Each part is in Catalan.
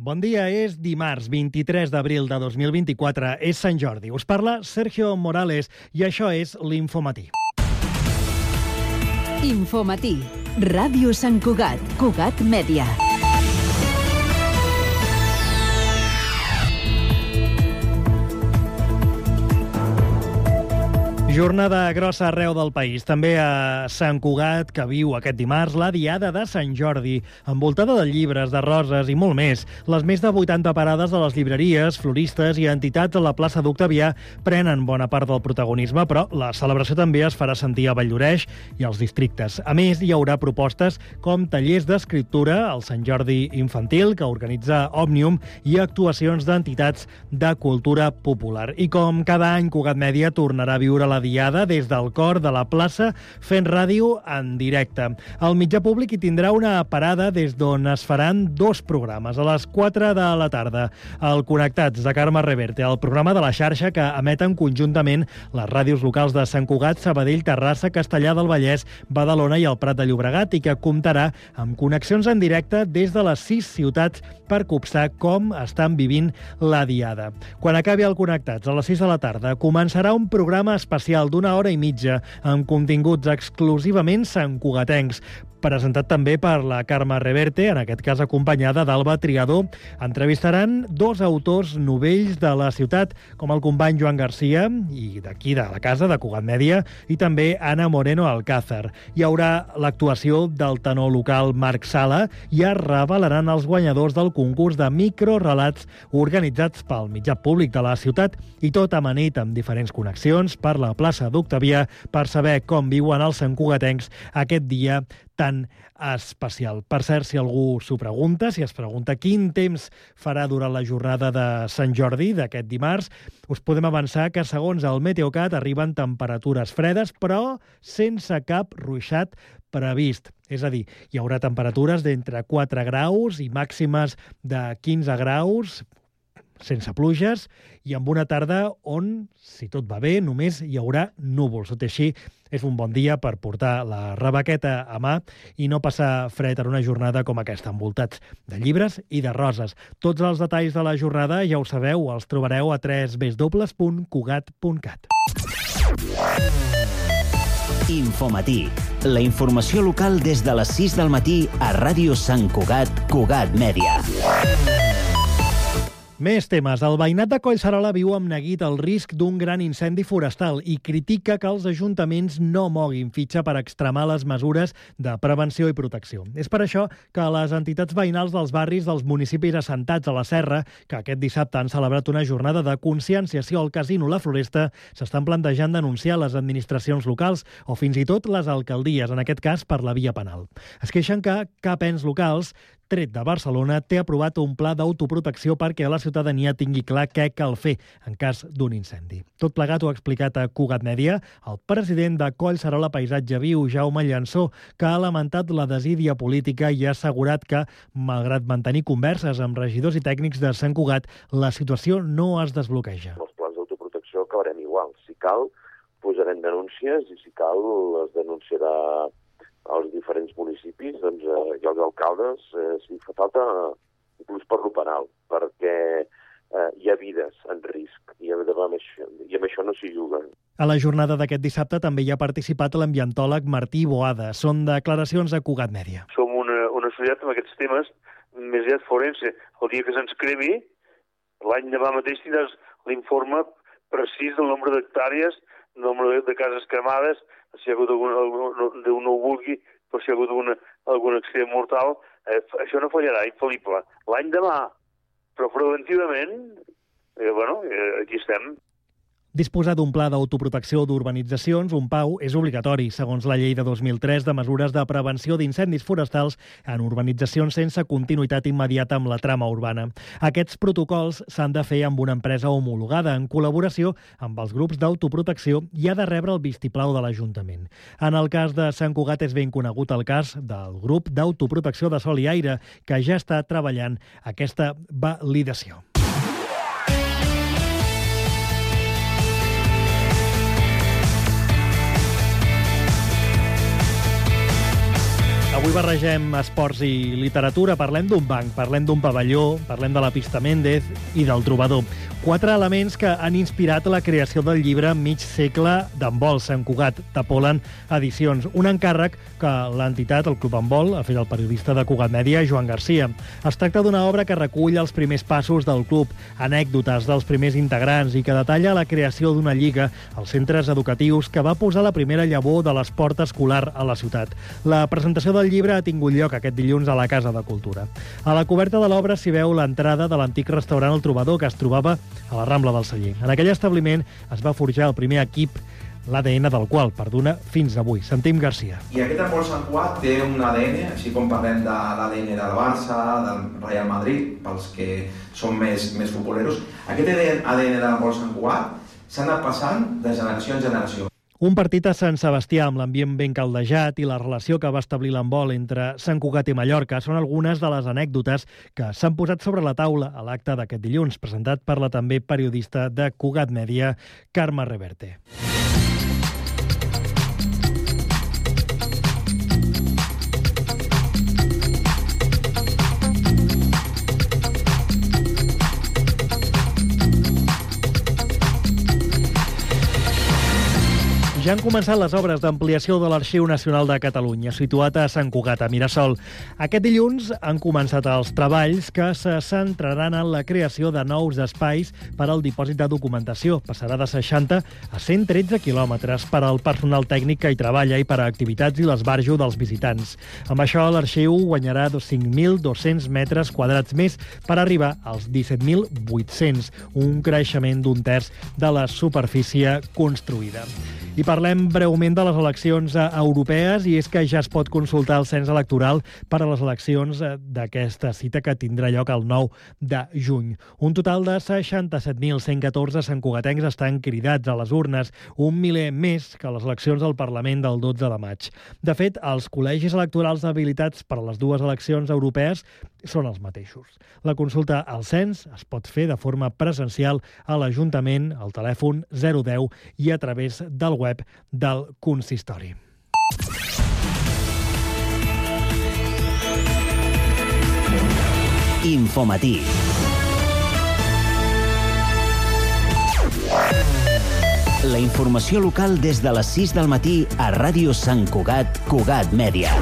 Bon dia, és dimarts 23 d'abril de 2024, és Sant Jordi. Us parla Sergio Morales i això és l'Infomatí. Infomatí, Ràdio Sant Cugat, Cugat Mèdia. Jornada grossa arreu del país, també a Sant Cugat, que viu aquest dimarts la Diada de Sant Jordi, envoltada de llibres, de roses i molt més. Les més de 80 parades de les llibreries, floristes i entitats a la plaça d'Octavià prenen bona part del protagonisme, però la celebració també es farà sentir a Valldoreix i als districtes. A més, hi haurà propostes com tallers d'escriptura, el Sant Jordi Infantil, que organitza Òmnium, i actuacions d'entitats de cultura popular. I com cada any, Cugat Mèdia tornarà a viure la Diada des del cor de la plaça fent ràdio en directe. El mitjà públic hi tindrà una parada des d'on es faran dos programes. A les 4 de la tarda, el Connectats de Carme Reverte, el programa de la xarxa que emeten conjuntament les ràdios locals de Sant Cugat, Sabadell, Terrassa, Castellar del Vallès, Badalona i el Prat de Llobregat, i que comptarà amb connexions en directe des de les 6 ciutats per copsar com estan vivint la Diada. Quan acabi el Connectats, a les 6 de la tarda, començarà un programa especial d'una hora i mitja amb continguts exclusivament santcugatencs, presentat també per la Carme Reverte, en aquest cas acompanyada d'Alba Triador. Entrevistaran dos autors novells de la ciutat, com el company Joan Garcia, i d'aquí, de la casa, de Cugat Mèdia, i també Ana Moreno Alcázar. Hi haurà l'actuació del tenor local Marc Sala i es revelaran els guanyadors del concurs de microrelats organitzats pel mitjà públic de la ciutat, i tot amanit amb diferents connexions per la plaça d'Octavià per saber com viuen els santcugatencs aquest dia tan especial. Per cert, si algú s'ho pregunta, si es pregunta quin temps farà durant la jornada de Sant Jordi d'aquest dimarts, us podem avançar que, segons el Meteocat, arriben temperatures fredes, però sense cap ruixat previst. És a dir, hi haurà temperatures d'entre 4 graus i màximes de 15 graus, sense pluges, i amb una tarda on, si tot va bé, només hi haurà núvols. Tot i així, és un bon dia per portar la rebequeta a mà i no passar fred en una jornada com aquesta, envoltats de llibres i de roses. Tots els detalls de la jornada, ja ho sabeu, els trobareu a www.cugat.cat. Infomatí, la informació local des de les 6 del matí a Ràdio Sant Cugat, Cugat Mèdia. Més temes. El veïnat de Collserola viu amb neguit el risc d'un gran incendi forestal i critica que els ajuntaments no moguin fitxa per extremar les mesures de prevenció i protecció. És per això que les entitats veïnals dels barris dels municipis assentats a la Serra, que aquest dissabte han celebrat una jornada de conscienciació al Casino La Floresta, s'estan plantejant denunciar les administracions locals o fins i tot les alcaldies, en aquest cas per la via penal. Es queixen que cap ens locals, tret de Barcelona, té aprovat un pla d'autoprotecció perquè la ciutadania tingui clar què cal fer en cas d'un incendi. Tot plegat ho ha explicat a Cugat Mèdia el president de Collserola Paisatge Viu, Jaume Llansó, que ha lamentat la desídia política i ha assegurat que, malgrat mantenir converses amb regidors i tècnics de Sant Cugat, la situació no es desbloqueja. Els plans d'autoprotecció acabarem igual. Si cal, posarem denúncies i si cal, les denunciarà als diferents municipis, doncs, i els alcaldes, si fa falta, inclús per lo penal, perquè hi ha vides en risc i amb això no s'hi juga. A la jornada d'aquest dissabte també hi ha participat l'ambientòleg Martí Boada. Són declaracions a Cugat Mèdia. Som una societat amb aquests temes, més aviat forense. El dia que se'ns cremi, l'any demà mateix tindràs l'informe precís del nombre d'hectàrees, el nombre de cases cremades, si hi ha hagut Déu no ho vulgui, però si hi ha hagut algun accident mortal, això no fallarà, infal·lible. L'any demà, però preventivament, aquí estem. Disposar d'un pla d'autoprotecció d'urbanitzacions, un PAU, és obligatori, segons la llei de 2003 de mesures de prevenció d'incendis forestals en urbanitzacions sense continuïtat immediata amb la trama urbana. Aquests protocols s'han de fer amb una empresa homologada en col·laboració amb els grups d'autoprotecció i ha de rebre el vistiplau de l'Ajuntament. En el cas de Sant Cugat és ben conegut el cas del grup d'autoprotecció de Sol i Aire, que ja està treballant aquesta validació. Avui barregem esports i literatura, parlem d'un banc, parlem d'un pavelló, parlem de la pista Méndez i del trobador. 4 elements que han inspirat la creació del llibre Mig segle d'handbol, Sant Cugat, de Polen Edicions. Un encàrrec que l'entitat, el Club Handbol, ha fet el periodista de Cugat Mèdia, Joan Garcia. Es tracta d'una obra que recull els primers passos del club, anècdotes dels primers integrants i que detalla la creació d'una lliga als centres educatius que va posar la primera llavor de l'esport escolar a la ciutat. La presentació del llibre ha tingut lloc aquest dilluns a la Casa de Cultura. A la coberta de l'obra s'hi veu l'entrada de l'antic restaurant El Trobador, que es trobava a la Rambla del Celler. En aquell establiment es va forjar el primer equip, l'ADN del qual perdura fins avui. Sentim Garcia. I aquest handbol Sant Cugat té un ADN, així com parlem de l'ADN del Barça, del Real Madrid, pels que són més futboleros. Aquest ADN de handbol Sant Cugat s'ha anat passant de generació en generació. Un partit a Sant Sebastià amb l'ambient ben caldejat i la relació que va establir l'handbol entre Sant Cugat i Mallorca són algunes de les anècdotes que s'han posat sobre la taula a l'acte d'aquest dilluns, presentat per la també periodista de Cugat Mèdia, Carme Reverte. Ja han començat les obres d'ampliació de l'Arxiu Nacional de Catalunya, situat a Sant Cugat, a Mirasol. Aquest dilluns han començat els treballs que se centraran en la creació de nous espais per al dipòsit de documentació. Passarà de 60 a 113 quilòmetres per al personal tècnic que hi treballa i per a activitats i l'esbarjo dels visitants. Amb això, l'arxiu guanyarà 5.200 metres quadrats més per arribar als 17.800, un creixement d'un terç de la superfície construïda. I parlem breument de les eleccions europees, i és que ja es pot consultar el cens electoral per a les eleccions d'aquesta cita que tindrà lloc el 9 de juny. Un total de 67.114 santcugatencs estan cridats a les urnes, un miler més que les eleccions del Parlament del 12 de maig. De fet, els col·legis electorals habilitats per a les dues eleccions europees són els mateixos. La consulta al cens es pot fer de forma presencial a l'Ajuntament, al telèfon 010 i a través del web del consistori. Infomatí. La informació local des de les 6 del matí a Ràdio Sant Cugat, Cugat Mèdia.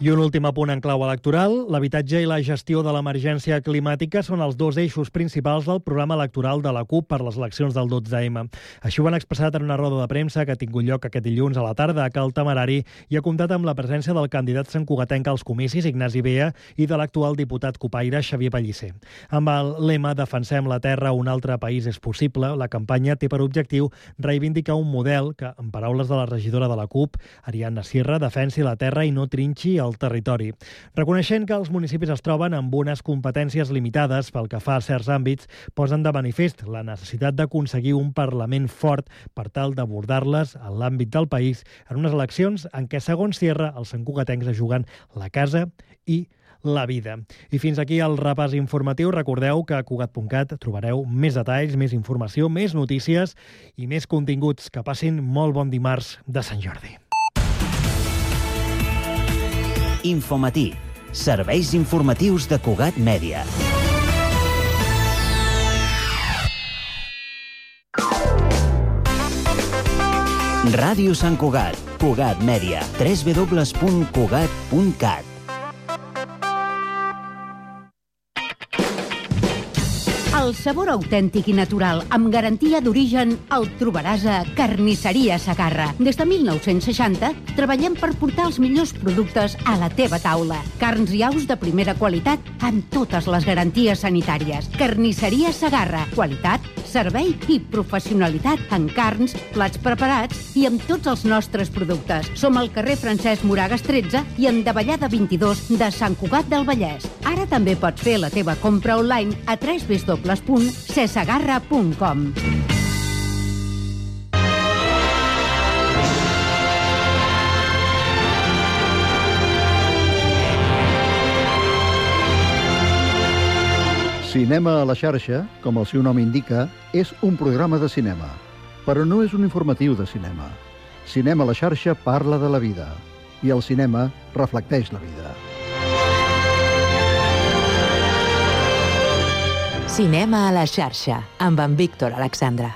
I un últim apunt en clau electoral. L'habitatge i la gestió de l'emergència climàtica són els dos eixos principals del programa electoral de la CUP per les eleccions del 12M. Així ho han expressat en una roda de premsa que ha tingut lloc aquest dilluns a la tarda a Cal Temerari i ha comptat amb la presència del candidat santcugatenc als comicis, Ignasi Bea, i de l'actual diputat copaire, Xavier Pellicer. Amb el lema Defensem la terra, un altre país és possible, la campanya té per objectiu reivindicar un model que, en paraules de la regidora de la CUP, Ariadna Sierra, defensi la terra i no trinxi el territori. Reconeixent que els municipis es troben amb unes competències limitades pel que fa a certs àmbits, posen de manifest la necessitat d'aconseguir un Parlament fort per tal d'abordar-les en l'àmbit del país en unes eleccions en què, segons Sierra, els santcugatencs es juguen la casa i la vida. I fins aquí el repàs informatiu. Recordeu que a Cugat.cat trobareu més detalls, més informació, més notícies i més continguts. Que passin molt bon dimarts de Sant Jordi. Infomatí. Serveis informatius de Cugat Mèdia. Ràdio Sant Cugat, Cugat Mèdia, www.cugat.cat. El sabor autèntic i natural, amb garantia d'origen, el trobaràs a Carnisseria Segarra. Des de 1960 treballem per portar els millors productes a la teva taula. Carns i aus de primera qualitat amb totes les garanties sanitàries. Carnisseria Segarra. Qualitat, servei i professionalitat en carns, plats preparats i amb tots els nostres productes. Som al carrer Francesc Moragas 13 i en Davallada 22 de Sant Cugat del Vallès. Ara també pots fer la teva compra online a www.cesegarra.com. Cinema a la xarxa, com el seu nom indica, és un programa de cinema, però no és un informatiu de cinema. Cinema a la xarxa parla de la vida. i el cinema reflecteix la vida. Cinema a la xarxa, amb en Víctor Alexandre.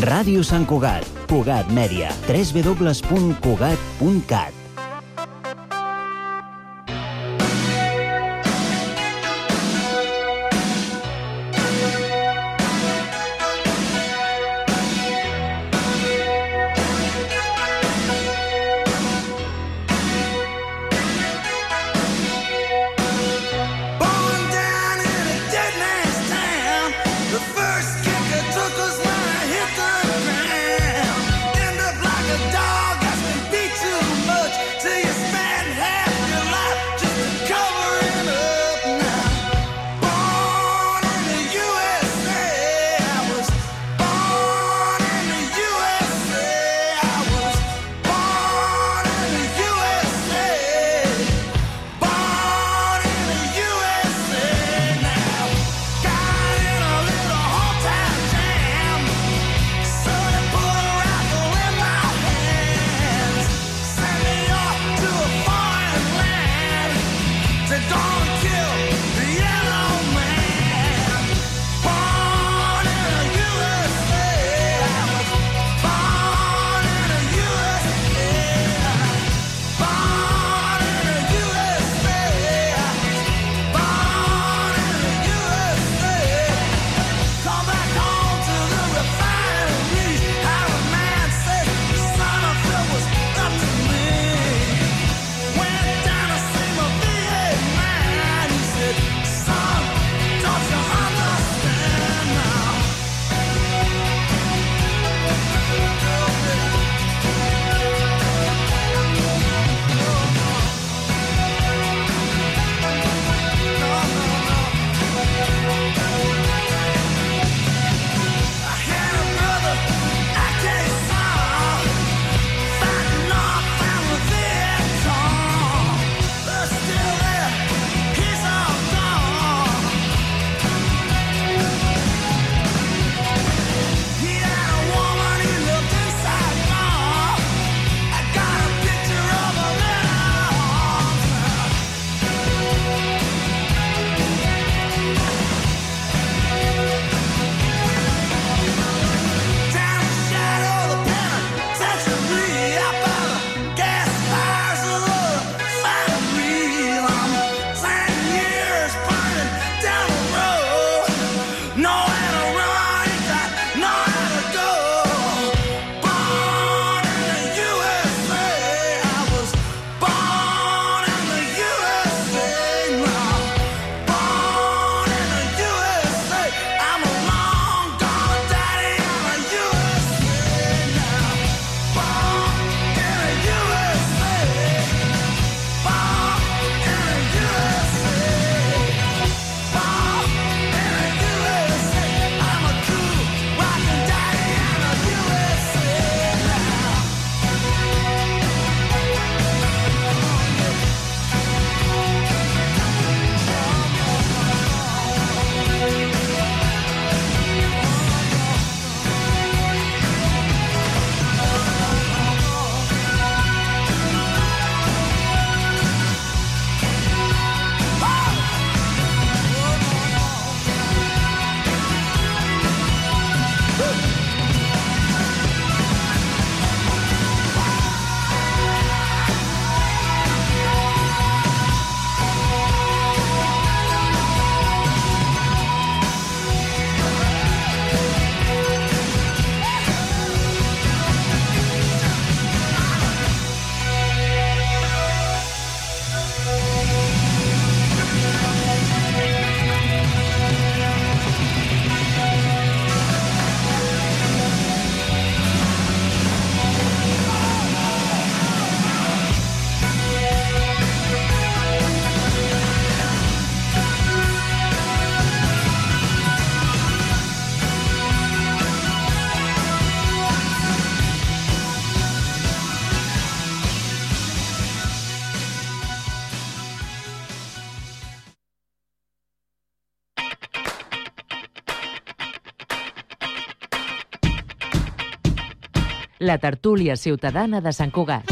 Ràdio Sant Cugat, Cugat Mèdia, www.cugat.cat. la tertúlia ciutadana de Sant Cugat.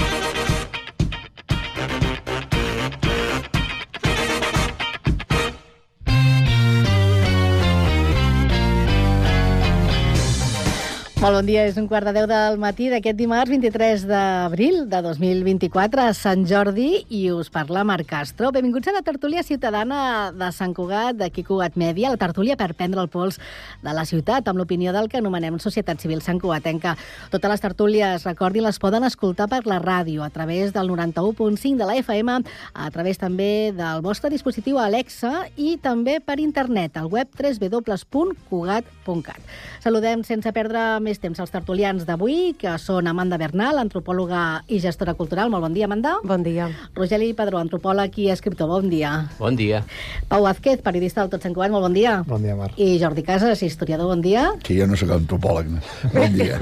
Molt bon dia, és 9:15 del matí d'aquest dimarts 23 d'abril de 2024 a Sant Jordi i us parla Marc Castro. Benvinguts a la tertúlia ciutadana de Sant Cugat, d'aquí Cugat Mèdia, la tertúlia per prendre el pols de la ciutat amb l'opinió del que anomenem Societat Civil Santcugatenca. Totes les tertúlies, recordin, les poden escoltar per la ràdio, a través del 91.5 de la FM, a través també del vostre dispositiu Alexa i també per internet, al web www.cugat.cat. Saludem sense perdre més temps als tertulians d'avui, que són Amanda Bernal, antropòloga i gestora cultural. Molt bon dia, Amanda. Bon dia. Rogeli Padró, antropòleg i escriptor. Bon dia. Bon dia. Pau Vázquez, periodista del Tot Sant Cugat. Molt bon dia. Bon dia, Mar. I Jordi Casas, historiador. Bon dia. Sí, jo no sóc antropòleg. No? Bon dia.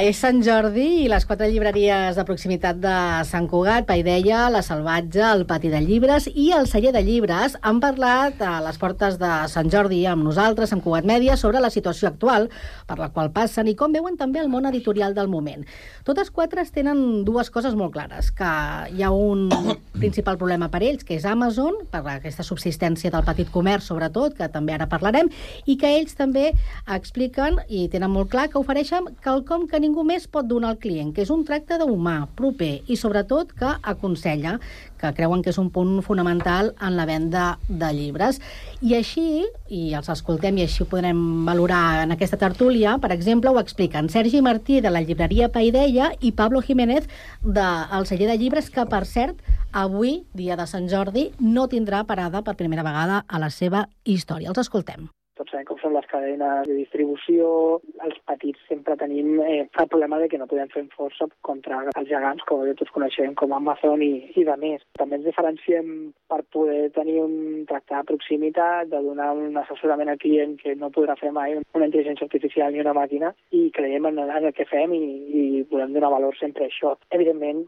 És Sant Jordi i les 4 llibreries de proximitat de Sant Cugat, Paideia, La Salvatge, el Pati de Llibres i el Celler de Llibres han parlat a les portes de Sant Jordi amb nosaltres, amb Cugat Mèdia, sobre la situació actual per la qual passen i com veuen també el món editorial del moment. Totes 4 tenen dues coses molt clares, que hi ha un principal problema per ells, que és Amazon, per aquesta subsistència del petit comerç, sobretot, que també ara parlarem, i que ells també expliquen i tenen molt clar que ofereixen quelcom que ningú més pot donar al client, que és un tracte d'humà, proper, i sobretot que aconsella, que creuen que és un punt fonamental en la venda de llibres. I així, i els escoltem i així ho podrem valorar en aquesta tertúlia, per exemple, ho expliquen Sergi Martí, de la llibreria Paideia, i Pablo Jiménez, del Celler de Llibres, que, per cert, avui, dia de Sant Jordi, no tindrà parada per primera vegada a la seva història. Els escoltem. Tots sabem com són les cadenes de distribució. Els petits sempre tenim el problema de que no podem fer força contra els gegants, com tots coneixem, com Amazon i de més. També ens diferenciem per poder tenir un tracte de proximitat, de donar un assessorament al client que no podrà fer mai una intel·ligència artificial ni una màquina, i creiem en el que fem i volem donar valor sempre a això. Evidentment,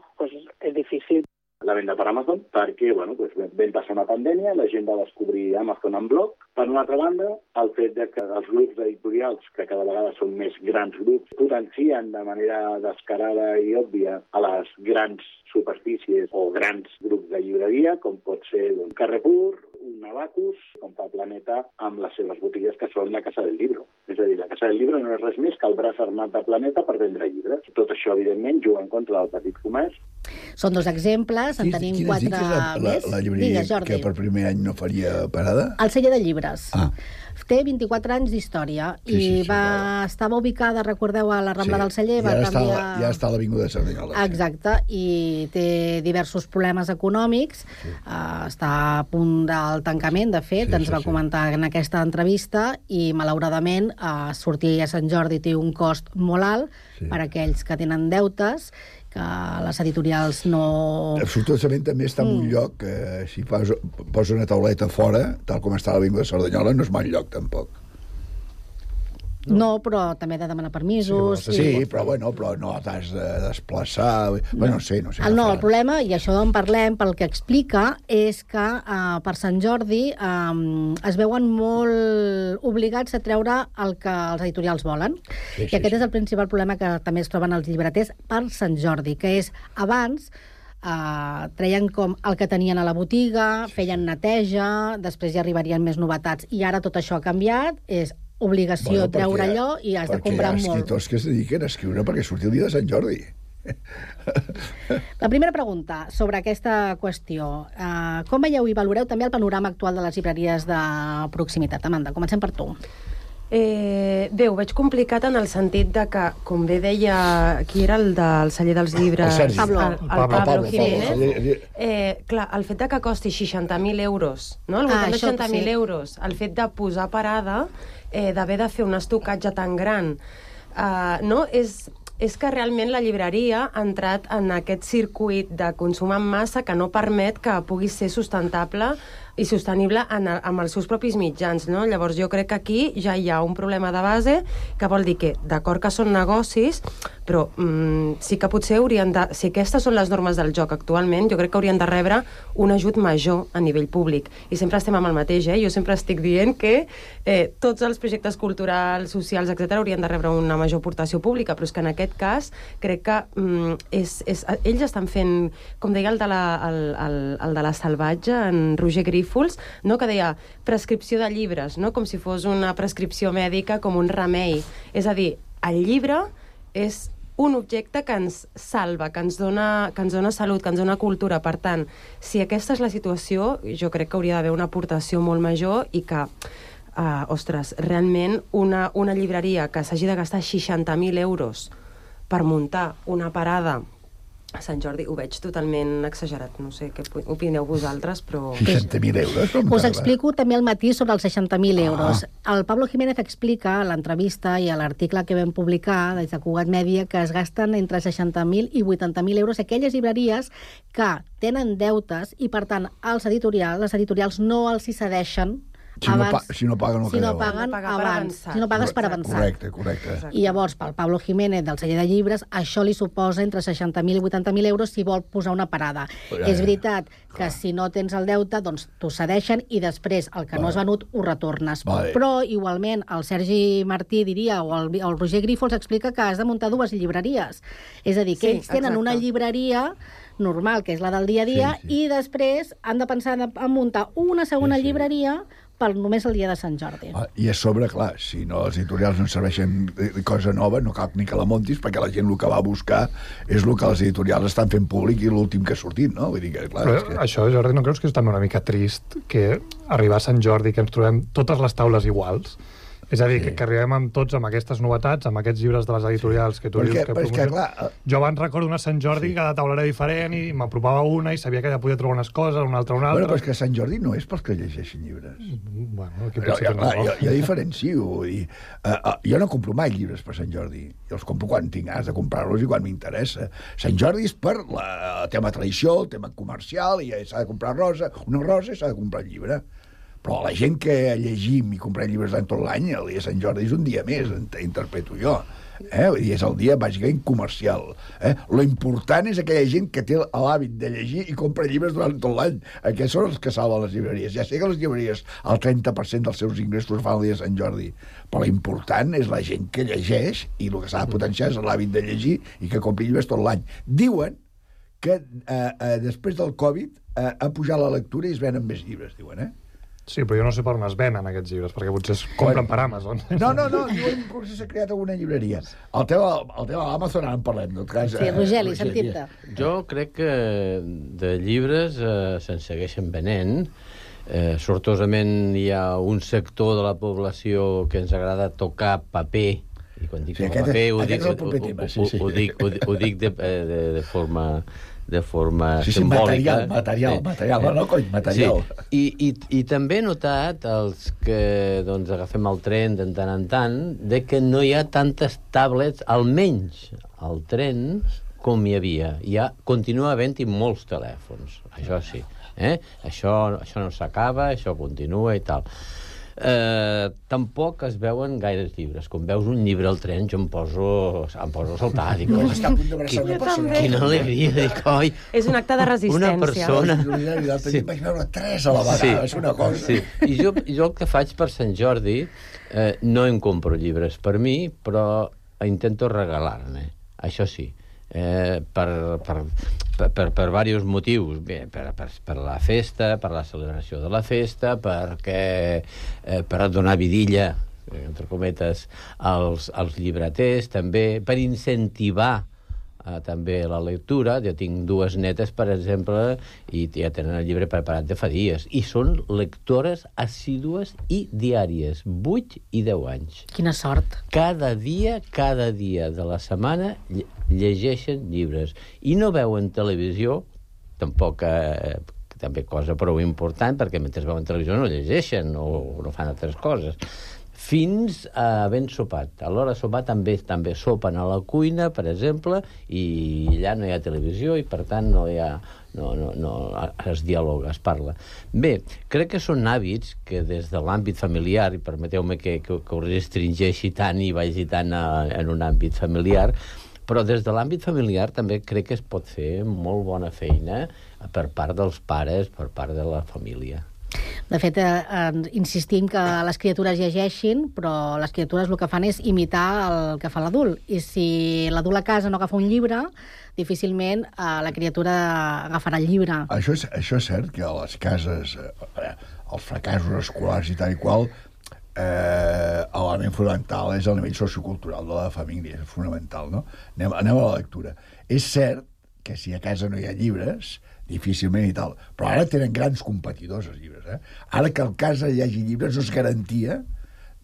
és difícil la venda per Amazon, perquè vam passar una pandèmia, la gent va descobrir Amazon en bloc. Per una altra banda, el fet de que els grups editorials, que cada vegada són més grans grups, potencien de manera descarada i òbvia a les grans superfícies o grans grups de llibreria, com pot ser un Carrefour, un Abacus, com fa Planeta amb les seves botigues, que són la Casa del Libro. És a dir, la Casa del Libro no és res més que el braç armat de Planeta per vendre llibres. Tot això, evidentment, juga en contra del petit comerç. Són dos exemples, en tenim 4 més. La llibreria que per primer any no faria parada? El Celler de Llibres. Té 24 anys d'història i estava ubicada, recordeu, a la Rambla del Celler. Ja està a l'Avinguda de Cerdanyola. Exacte, i té diversos problemes econòmics. Està a punt del tancament, de fet, ens va comentar en aquesta entrevista, i malauradament sortir a Sant Jordi té un cost molt alt per a aquells que tenen deutes, que les editorials no... Absolutament també està en un lloc que si posa una tauleta fora, tal com està a l'Avinguda de Cerdanyola, no és mal lloc tampoc. No, però també ha de demanar permisos. Sí, però no t'has de desplaçar. No sé. El problema, i això en parlem, pel que explica, és que per Sant Jordi es veuen molt obligats a treure el que els editorials volen. I aquest és el principal problema que també es troben els llibreters per Sant Jordi, que és abans treien com el que tenien a la botiga, feien neteja, després ja arribarien més novetats, i ara tot això ha canviat, és obligació treure allò i has de comprar molt. Perquè hi ha escriptors que es dediquen a escriure perquè surti el dia de Sant Jordi. La primera pregunta sobre aquesta qüestió. Com veieu i valoreu també el panorama actual de les llibreries de proximitat? Amanda, comencem per tu. Bé, ho veig complicat en el sentit de que, com bé deia, qui era el del Celler dels Llibres? El Pablo Jiménez. Clar, el fet de que costi 60.000 euros, no? Al voltant de 60.000 euros, el fet de posar parada, d'haver de fer un estocatge tan gran, no? És que realment la llibreria ha entrat en aquest circuit de consum en massa que no permet que pugui ser sustentable i sostenible amb els seus propis mitjans, no? Llavors jo crec que aquí ja hi ha un problema de base que vol dir que, d'acord que són negocis, però sí que potser haurien de... Si aquestes són les normes del joc actualment, jo crec que haurien de rebre un ajut major a nivell públic. I sempre estem amb el mateix, Jo sempre estic dient que tots els projectes culturals, socials, etc., haurien de rebre una major aportació pública, però és que en aquest cas crec que ells estan fent, com deia el de la Salvatge, en Roger Grífols, no? Que deia prescripció de llibres, no? Com si fos una prescripció mèdica, com un remei. És a dir, el llibre és un objecte que ens salva, que ens dona salut, que ens dona cultura. Per tant, si aquesta és la situació, jo crec que hauria d'haver una aportació molt major i que, ostres, realment una llibreria que s'hagi de gastar 60.000 euros per muntar una parada a Sant Jordi, ho veig totalment exagerat. No sé què opineu vosaltres, però... 60.000 euros? Us explico també el matí sobre els 60.000 euros. El Pablo Jiménez explica a l'entrevista i a l'article que vam publicar des de Cugat Mèdia que es gasten entre 60.000 i 80.000 euros aquelles llibreries que tenen deutes i, per tant, les editorials no els hi cedeixen si no paguen abans, si no pagues per avançar. Correcte. I llavors, pel Pablo Jiménez del celler de llibres, això li suposa entre 60.000 i 80.000 euros si vol posar una parada. És veritat que si no tens el deute, doncs t'ho cedeixen i després el que no has venut ho retornes. Però, igualment, el Sergi Martí diria, o el Roger Grífols explica que has de muntar dues llibreries. És a dir, que ells tenen una llibreria normal, que és la del dia a dia, i després han de pensar en muntar una segona llibreria per només el dia de Sant Jordi. I a sobre, clar, si no els editorials no serveixen cosa nova, no cal ni que la montis, perquè la gent el que va a buscar és el que els editorials estan fent públic i l'últim que ha sortit, no? Vull dir que, clar, però això, Jordi, no creus que és també una mica trist que arribar a Sant Jordi, que ens trobem totes les taules iguals? És a dir, que arribem amb tots amb aquestes novetats, amb aquests llibres de les editorials que tu dius que promocionen. Jo abans recordo una Sant Jordi, cada taula era diferent i m'apropava una i sabia que ja podia trobar unes coses, una altra. Bueno, però és que Sant Jordi no és pels que llegeixen llibres. Bueno, aquí potser no. Jo diferencio. Jo no compro mai llibres per Sant Jordi. Jo els compro quan tinc ganes de comprar-los i quan m'interessa. Sant Jordi és per el tema tradició, el tema comercial, i s'ha de comprar una rosa i s'ha de comprar el llibre. Però la gent que llegim i comprem llibres durant tot l'any, el dia de Sant Jordi és un dia més, interpreto jo. És el dia bàsicament comercial. Lo important és aquella gent que té l'hàbit de llegir i compra llibres durant tot l'any. Aquests són els que salven les llibreries. Ja sé que les llibreries el 30% dels seus ingressos fan el dia de Sant Jordi, però l'important és la gent que llegeix i el que s'ha de potenciar és l'hàbit de llegir i que compri llibres tot l'any. Diuen que després del Covid ha pujat la lectura i es venen més llibres, diuen, Sí, però jo no sé per on es venen aquests llibres, perquè potser es compren per Amazon. No, diuen que s'ha creat alguna llibreria. El tema de l'Amazon ara en parlem, no? Sí, Rogeli, sentim-te. Jo crec que de llibres se'n segueixen venent. Sortosament hi ha un sector de la població que ens agrada tocar paper, i quan dic paper ho dic de forma simbòlica. Material. I també he notat els que agafem el tren de tant en tant de que no hi ha tantes tablets, almenys al tren, com hi havia. Continua havent-hi molts telèfons, això sí. Això no s'acaba, això continua i tal. Tampoc es veuen gaires llibres. Quan veus un llibre al tren jo em poso a saltar. Dic, quina alegria, dic, oi. És un acte de resistència. Una persona... Vaig veure 3 a la vegada, és una cosa. I jo el que faig per Sant Jordi, no em compro llibres per mi, però intento regalar-ne, això sí. Per diversos motius. Bé, per la festa, per la celebració de la festa, per donar vidilla, entre cometes, als llibreters, també, per incentivar també la lectura. Jo tinc 2 netes, per exemple, i ja tenen el llibre preparat de fa dies, i són lectores assídues i diàries, 8 i 10 anys. Quina sort. Cada dia de la setmana llegeixen llibres i no veuen televisió, tampoc també cosa prou important, perquè mentre veuen televisió no llegeixen o no fan altres coses. fins a ben sopat. A l'hora de sopar també sopen a la cuina, per exemple, i allà no hi ha televisió i, per tant, no es dialoga, es parla. Bé, crec que són hàbits que des de l'àmbit familiar, i permeteu-me que ho restringeixi tant i vagi tant en un àmbit familiar, però des de l'àmbit familiar també crec que es pot fer molt bona feina per part dels pares, per part de la família. De fet, insistim que les criatures llegeixin, però les criatures el que fan és imitar el que fa l'adult. I si l'adult a casa no agafa un llibre, difícilment la criatura agafarà el llibre. Això és cert, que a les cases, els fracassos escolars i tal i qual, l'element fonamental és el nivell sociocultural de la família, és fonamental, no? Anem a la lectura. És cert que si a casa no hi ha llibres, difícilment i tal, però ara tenen grans competidors els llibres, Ara que a casa hi hagi llibres no és garantia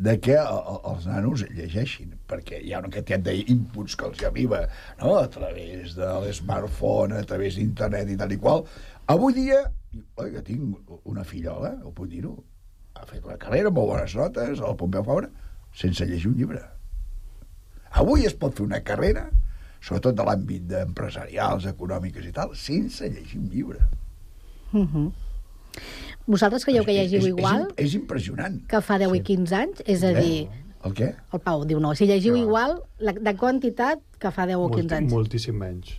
de que els nanos llegeixin, perquè hi ha una quantitat d'inputs que els arriba, no?, a través de l'smartphone, a través d'internet i tal i qual. Avui dia, jo tinc una fillola, ho puc dir-ho, ha fet una carrera amb molt bones notes al Pompeu Fabra sense llegir un llibre. Avui es pot fer una carrera, sobretot de l'àmbit empresarials, econòmiques i tal, sense llegir un llibre. Vosaltres creieu que llegiu igual? És impressionant. Que fa 10 i 15 anys? És a dir... El què? El Pau diu no. Si llegiu igual, de quantitat que fa 10 o 15 anys? Moltíssim menys.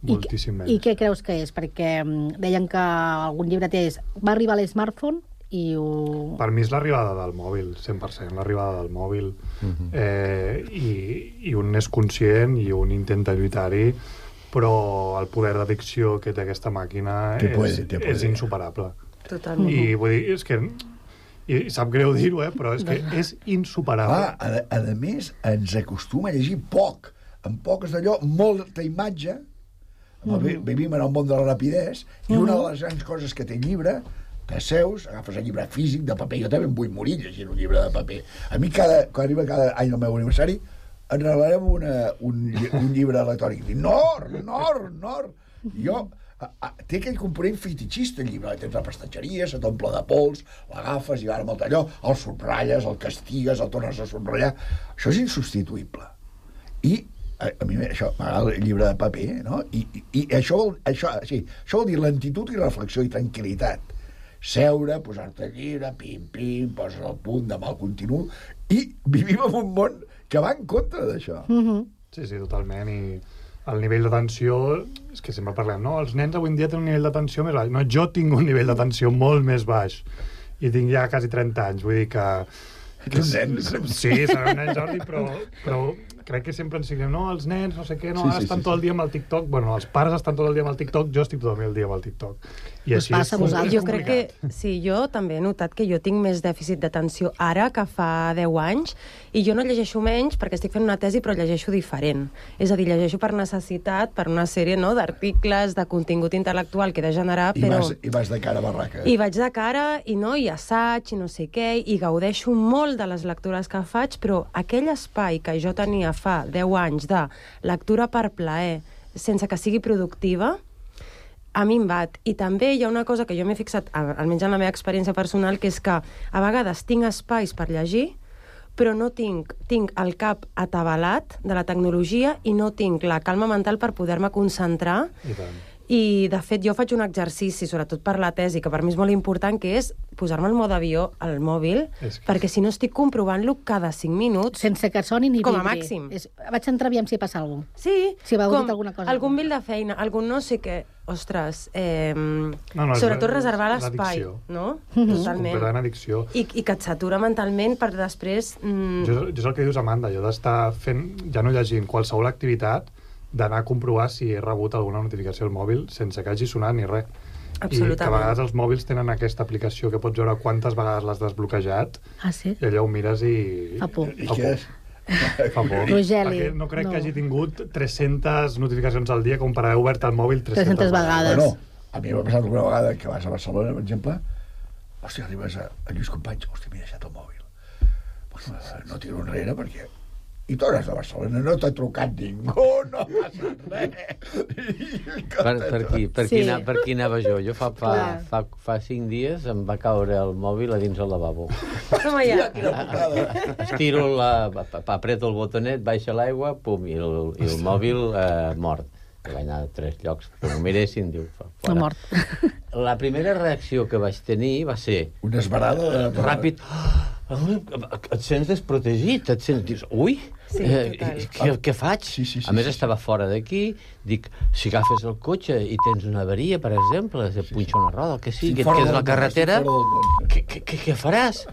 Moltíssim menys. I què creus que és? Perquè deien que algun llibreter va arribar a l'smartphone i ho... Per mi és l'arribada del mòbil, 100%, l'arribada del mòbil. I un és conscient i un intenta lluitar-hi, però el poder d'addicció que té aquesta màquina és insuperable. Totalment. I vull dir, és que... I sap greu dir-ho, però és que és insuperable. A més, ens acostuma a llegir poc. En poc és d'allò, molta imatge. Vivim en el món de la rapidesa, i una de les grans coses que té el llibre, que seus, agafes el llibre físic de paper. Jo també em vull morir llegint un llibre de paper. A mi, quan arriba cada any el meu aniversari, ens regalarem un llibre electrònic. Nord! Jo... té aquell component fetichista, el llibre. Tens la prestatgeria, se t'omple de pols, l'agafes i ara amb el talló, el subratlles, el castigues, el tornes a subratllar. Això és insubstituïble. I a mi això m'agrada el llibre de paper, no? I això vol dir lentitud i reflexió i tranquil·litat. Seure, posar-te el llibre, pim, poses el punt, demà el continu, i vivim en un món que va en contra d'això. Sí, totalment, i el nivell d'atenció, és que sempre parlem, no? Els nens avui en dia tenen un nivell d'atenció més baix. No, jo tinc un nivell d'atenció molt més baix i tinc ja quasi 30 anys, vull dir que... Un nen. Sí, serà un nen, Jordi, però crec que sempre ens diguem, no, els nens, no sé què, no, ara estan tot el dia amb el TikTok. Bueno, els pares estan tot el dia amb el TikTok, jo estic tot el dia amb el TikTok. I així és complicat. Jo crec que, sí, jo també he notat que jo tinc més dèficit d'atenció ara que fa 10 anys, i jo no llegeixo menys perquè estic fent una tesi, però llegeixo diferent. És a dir, llegeixo per necessitat, per una sèrie d'articles, de contingut intel·lectual que he de generar, però... I vas de cara a barraca. I vaig de cara, i assaig, i no sé què, i gaudeixo molt de les lectures que faig, però aquell espai que jo tenia fa 10 anys de lectura per plaer, sense que sigui productiva, a mi em bat. I també hi ha una cosa que jo m'he fixat, almenys en la meva experiència personal, que és que a vegades tinc espais per llegir, però no tinc el cap atabalat de la tecnologia i no tinc la calma mental per poder-me concentrar. I, de fet, jo faig un exercici, sobretot per la tesi, que per mi és molt important, que és posar-me el mode avió al mòbil, perquè si no estic comprovant-lo cada 5 minuts... Sense que soni ni com a màxim. Vaig entrar aviam si passa alguna cosa. Sí, si com alguna cosa. Algun mail de feina, algun no sé què... Ostres, sobretot reservar l'espai, no? Totalment. Completant addicció. I que et satura mentalment per després... Jo és el que dius, Amanda, jo d'estar fent, ja no llegint qualsevol activitat, d'anar a comprovar si he rebut alguna notificació al mòbil sense que hagi sonat ni res. Absolutament. I que a vegades els mòbils tenen aquesta aplicació que pots veure quantes vegades l'has desbloquejat. Sí? I allò ho mires i... Fa por. I què és? Fa por. Rogeli. No crec que hagi tingut 300 notificacions al dia com per haver obert el mòbil 300 vegades. Bueno, a mi m'ha passat alguna vegada que vas a Barcelona, per exemple, arribes a Lluís Companys, m'he deixat el mòbil. No tiro enrere perquè I tu eres de Barcelona, no t'ha trucat ningú, no passa res. Per qui anava jo? Jo fa 5 dies em va caure el mòbil a dins el lavabo. Estiro apreto el botonet, baixa l'aigua, pum, i el mòbil mort. Vaig anar a 3 llocs, que m'ho miressin, diu, fora. Mort. La primera reacció que vaig tenir va ser... Una esbarada? Ràpid. Et sents desprotegit, et sents... Dius, ui, què faig? A més, estava fora d'aquí, dic, si agafes el cotxe i tens una avaria, per exemple, se punxa una roda, el que sigui, et quedes a la carretera, què faràs?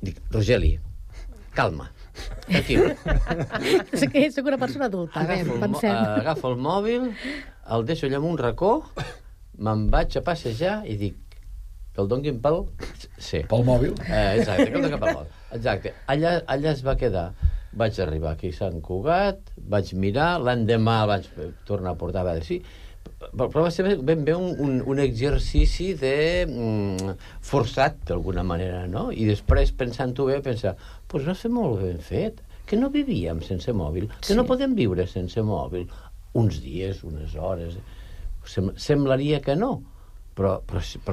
Dic, Rogeli, calma, tranquil. Soc una persona adulta, pensem. Agafo el mòbil, el deixo allà en un racó, me'n vaig a passejar i dic, que el donguin pel... Sí. Pel mòbil? Exacte, que el donguin pel mòbil. Exacte. Allà es va quedar. Vaig arribar aquí a Sant Cugat, vaig mirar, l'endemà vaig tornar a portar a veure sí. Però va ser ben bé un exercici de forçat, d'alguna manera, no? I després, pensant-ho bé, pensar, doncs no sé molt ben fet, que no vivíem sense mòbil, que no podem viure sense mòbil. Uns dies, unes hores... Semblaria que no. Però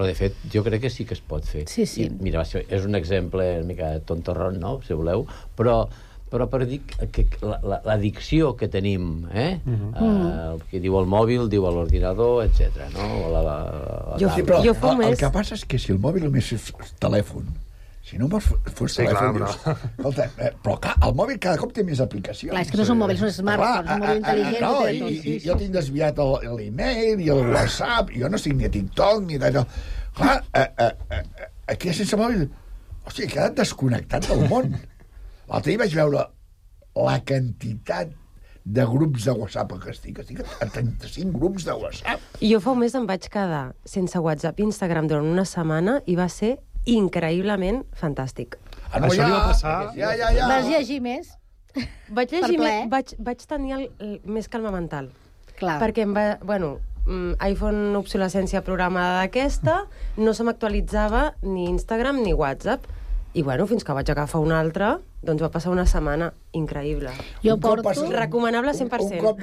de fet, jo crec que sí que es pot fer. Sí. I, mira, és un exemple una mica tontorron, no?, si voleu, però per dir que l'addicció que tenim, el que diu el mòbil, diu l'ordinador, etc. No? El que passa és que si el mòbil només és telèfon, si no fos telèfon, escolta, però el mòbil cada cop té més aplicacions. Clar, és que no són mòbils, són smartphones, són mòbil intel·ligent. I jo tinc desviat l'email i el WhatsApp, jo no estic ni a TikTok ni d'allò. Clar, aquí sense mòbil, hòstia, he quedat desconnectat del món. L'altre dia vaig veure la quantitat de grups de WhatsApp que estic a 35 grups de WhatsApp. Jo fa un mes em vaig quedar sense WhatsApp i Instagram durant una setmana i va ser increïblement fantàstic. Això li va passar... Vas llegir més? Vaig llegir més, vaig tenir més calma mental. Clar. Perquè em va... Bueno, iPhone obsolescència programada d'aquesta, no se m'actualitzava ni Instagram ni WhatsApp. I bueno, fins que vaig agafar un altre, doncs va passar una setmana increïble. Jo porto... Recomanable 100%. Un cop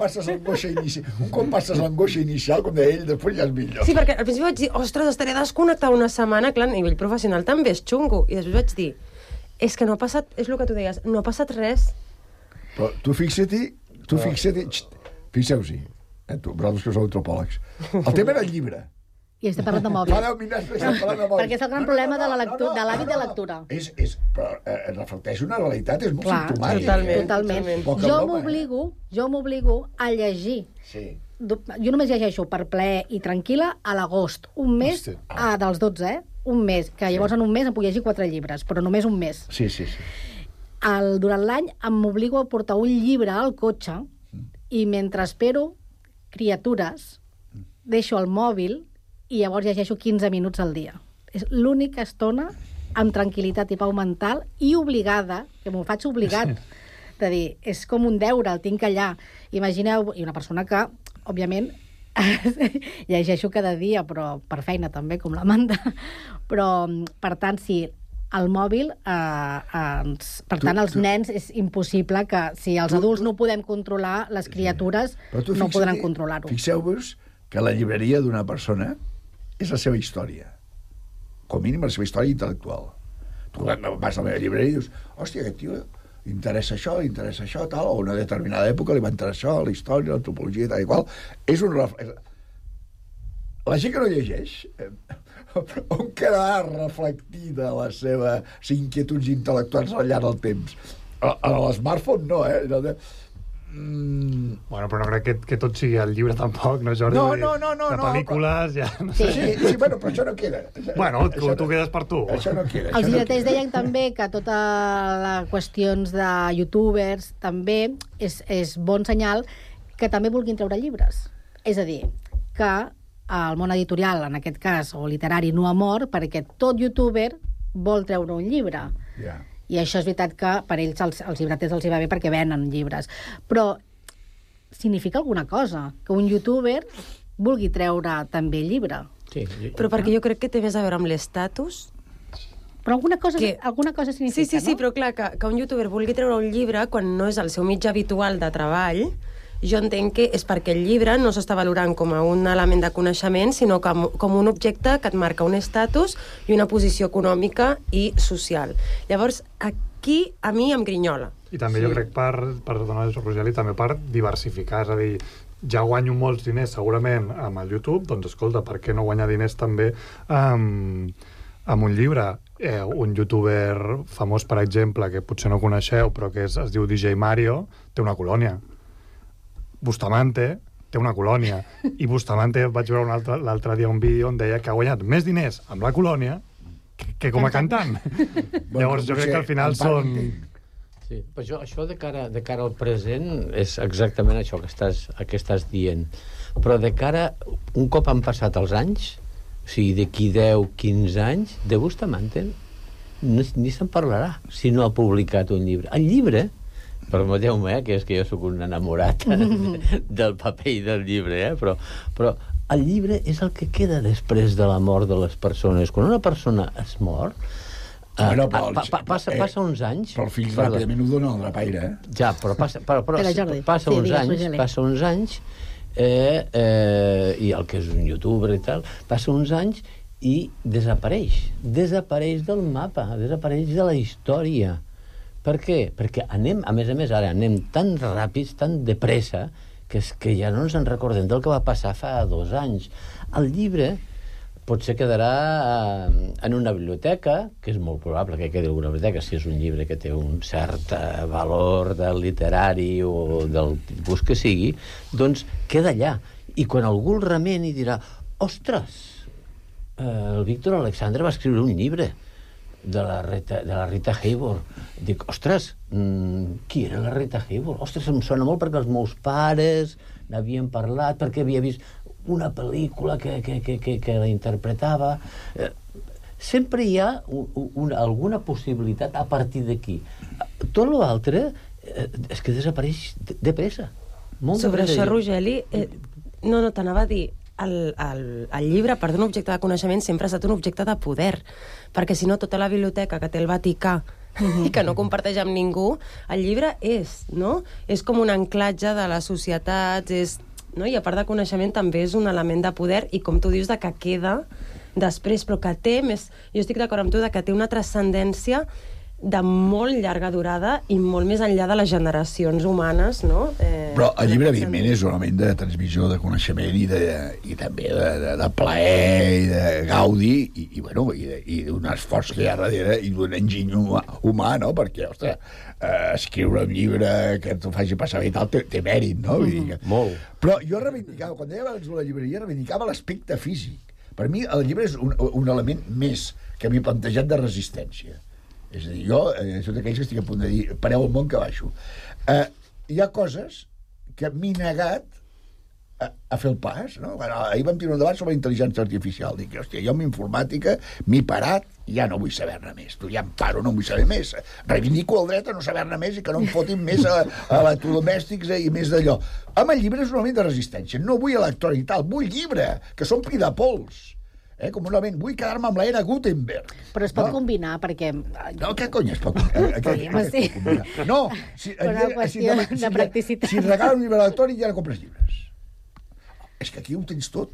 passes l'angoixa inicial, com deia ell, després ja és millor. Sí, perquè al principi vaig dir, ostres, estaré desconnectat una setmana, clar, a nivell professional també és xungo. I després vaig dir, és que no ha passat, és el que tu deies, no ha passat res. Però tu fixa't-hi, fixeu-s'hi, vosaltres que sou antropòlegs, el tema era el llibre. I estem parlant de mòbil. Fa 10 minuts estem parlant de mòbil. Perquè és el gran problema de l'hàbit de lectura. Però reflecteix una realitat, és molt simptomàtic. Totalment. Jo m'obligo a llegir. Sí. Jo només llegeixo per plaer i tranquil·la a l'agost. Un mes dels 12, un mes. Que llavors en un mes em puc llegir 4 llibres, però només un mes. Sí. Durant l'any m'obligo a portar un llibre al cotxe i mentre espero criatures deixo el mòbil i llavors llegeixo 15 minuts al dia. És l'única estona amb tranquil·litat i pau mental i obligada, que m'ho faig obligat, de dir, és com un deure, el tinc allà. Imagineu, i una persona que, òbviament, llegeixo cada dia, però per feina també, com l'Amanda. Però, per tant, si el mòbil, per tant, els nens és impossible que, si els adults no podem controlar, les criatures no podran controlar-ho. Fixeu-vos que la llibreria d'una persona és la seva història. Com a mínim la seva història intel·lectual. Tu vas a la meva llibreria i dius, hòstia, aquest tio interessa això, tal, o una determinada època li va interessar això, la història, l'antropologia, tal i qual. És un... La gent que no llegeix, on quedarà reflectida les seves inquietuds intel·lectuals al llarg del temps? A l'smartphone no, Bueno, però no crec que tot sigui el llibre tampoc, no, Jordi? No. De pel·lícules ja... Sí, bueno, però això no queda. Bueno, tu quedes per tu. Això no queda. Els llibreters deien també que tota les qüestions de youtubers també és bon senyal que també vulguin treure llibres. És a dir, que el món editorial, en aquest cas, o literari, no ha mort perquè tot youtuber vol treure un llibre. Ja. I això és veritat que per ells els llibreters els hi va bé perquè venen llibres. Però significa alguna cosa, que un youtuber vulgui treure també llibre. Sí. Però perquè jo crec que té més a veure amb l'estatus Però alguna cosa significa, Sí, però clar, que un youtuber vulgui treure un llibre quan no és el seu mitjà habitual de treball, jo entenc que és perquè el llibre no s'està valorant com a un element de coneixement, sinó com un objecte que et marca un estatus i una posició econòmica i social. Llavors, aquí a mi em grinyola. I també jo crec per donar el Rogeli, també per diversificar, és a dir, ja guanyo molts diners segurament amb el YouTube, doncs escolta, per què no guanyar diners també amb un llibre? Un youtuber famós, per exemple, que potser no coneixeu, però que es diu DJ Mario, té una colònia. Bustamante té una colònia. I Bustamante vaig veure l'altre dia un vídeo on deia que ha guanyat més diners amb la colònia que com a cantant. Llavors jo crec que al final són... Sí, però això de cara al present és exactament això que estàs dient. Però de cara, un cop han passat els anys, o sigui, d'aquí 10, 15 anys, de Bustamante ni se'n parlarà si no ha publicat un llibre. El llibre, permeteu-me, que és que jo sóc un enamorat del paper i del llibre, però el llibre és el que queda després de la mort de les persones. Quan una persona es mor, passa uns anys... Però el fill ràpidament ho dona al drapaire, Ja, però passa uns anys i el que és un youtuber i tal, passa uns anys i desapareix del mapa, desapareix de la història. Per què? Perquè anem, a més, ara anem tan ràpids, tan de pressa, que ja no ens en recordem del que va passar fa 2 anys. El llibre potser quedarà en una biblioteca, que és molt probable que quedi en una biblioteca, si és un llibre que té un cert valor del literari o del tipus que sigui, doncs queda allà. I quan algú el remeni dirà, ostres, el Víctor Alexandre va escriure un llibre de la Rita Hayworth. Dic, ostres, qui era la Rita Hayworth? Ostres, em sona molt perquè els meus pares n'havien parlat, perquè havia vist una pel·lícula que la interpretava. Sempre hi ha alguna possibilitat a partir d'aquí. Tot l'altre és que desapareix de pressa. Sobre això, Rogeli, no, t'anava a dir, el llibre, per d'un objecte de coneixement, sempre ha estat un objecte de poder, perquè si no tota la biblioteca que té el Vaticà i que no comparteix amb ningú, el llibre és com un anclatge de les societats, i a part de coneixement també és un element de poder, i com tu dius, de que queda després, però que té més, jo estic d'acord amb tu, de que té una transcendència de molt llarga durada i molt més enllà de les generacions humanes, no? Però el llibre, evidentment, és un element de transmissió de coneixement i també de plaer i de gaudi i d'un esforç que hi ha darrere i d'un enginy humà, no? Perquè, ostres, escriure un llibre que t'ho faci passar bé i tal té mèrit, no? Molt. Però jo reivindicava, quan deia abans de la llibreria, reivindicava l'aspecte físic. Per mi, el llibre és un element més que m'he plantejat de resistència. És a dir, jo, soc d'aquells que estic a punt de dir, pareu el món que baixo. Hi ha coses que m'he negat a fer el pas, no? Ahir vam tenir un debat sobre intel·ligència artificial. Dic, hòstia, jo amb informàtica m'he parat i ja no vull saber-ne més. Ja em paro, no vull saber més. Reivindico el dret a no saber-ne més i que no em fotin més electrodomèstics i més d'allò. Amb el llibre és un element de resistència. No vull electrònic i tal, vull llibre, que s'ompli de pols. Com un element, vull quedar-me amb l'era Gutenberg. Però es pot combinar, perquè... No, què cony es pot combinar? No, una qüestió de practicitat. Si et regalen un llibre electrònic ja no compres llibres. És que aquí ho tens tot.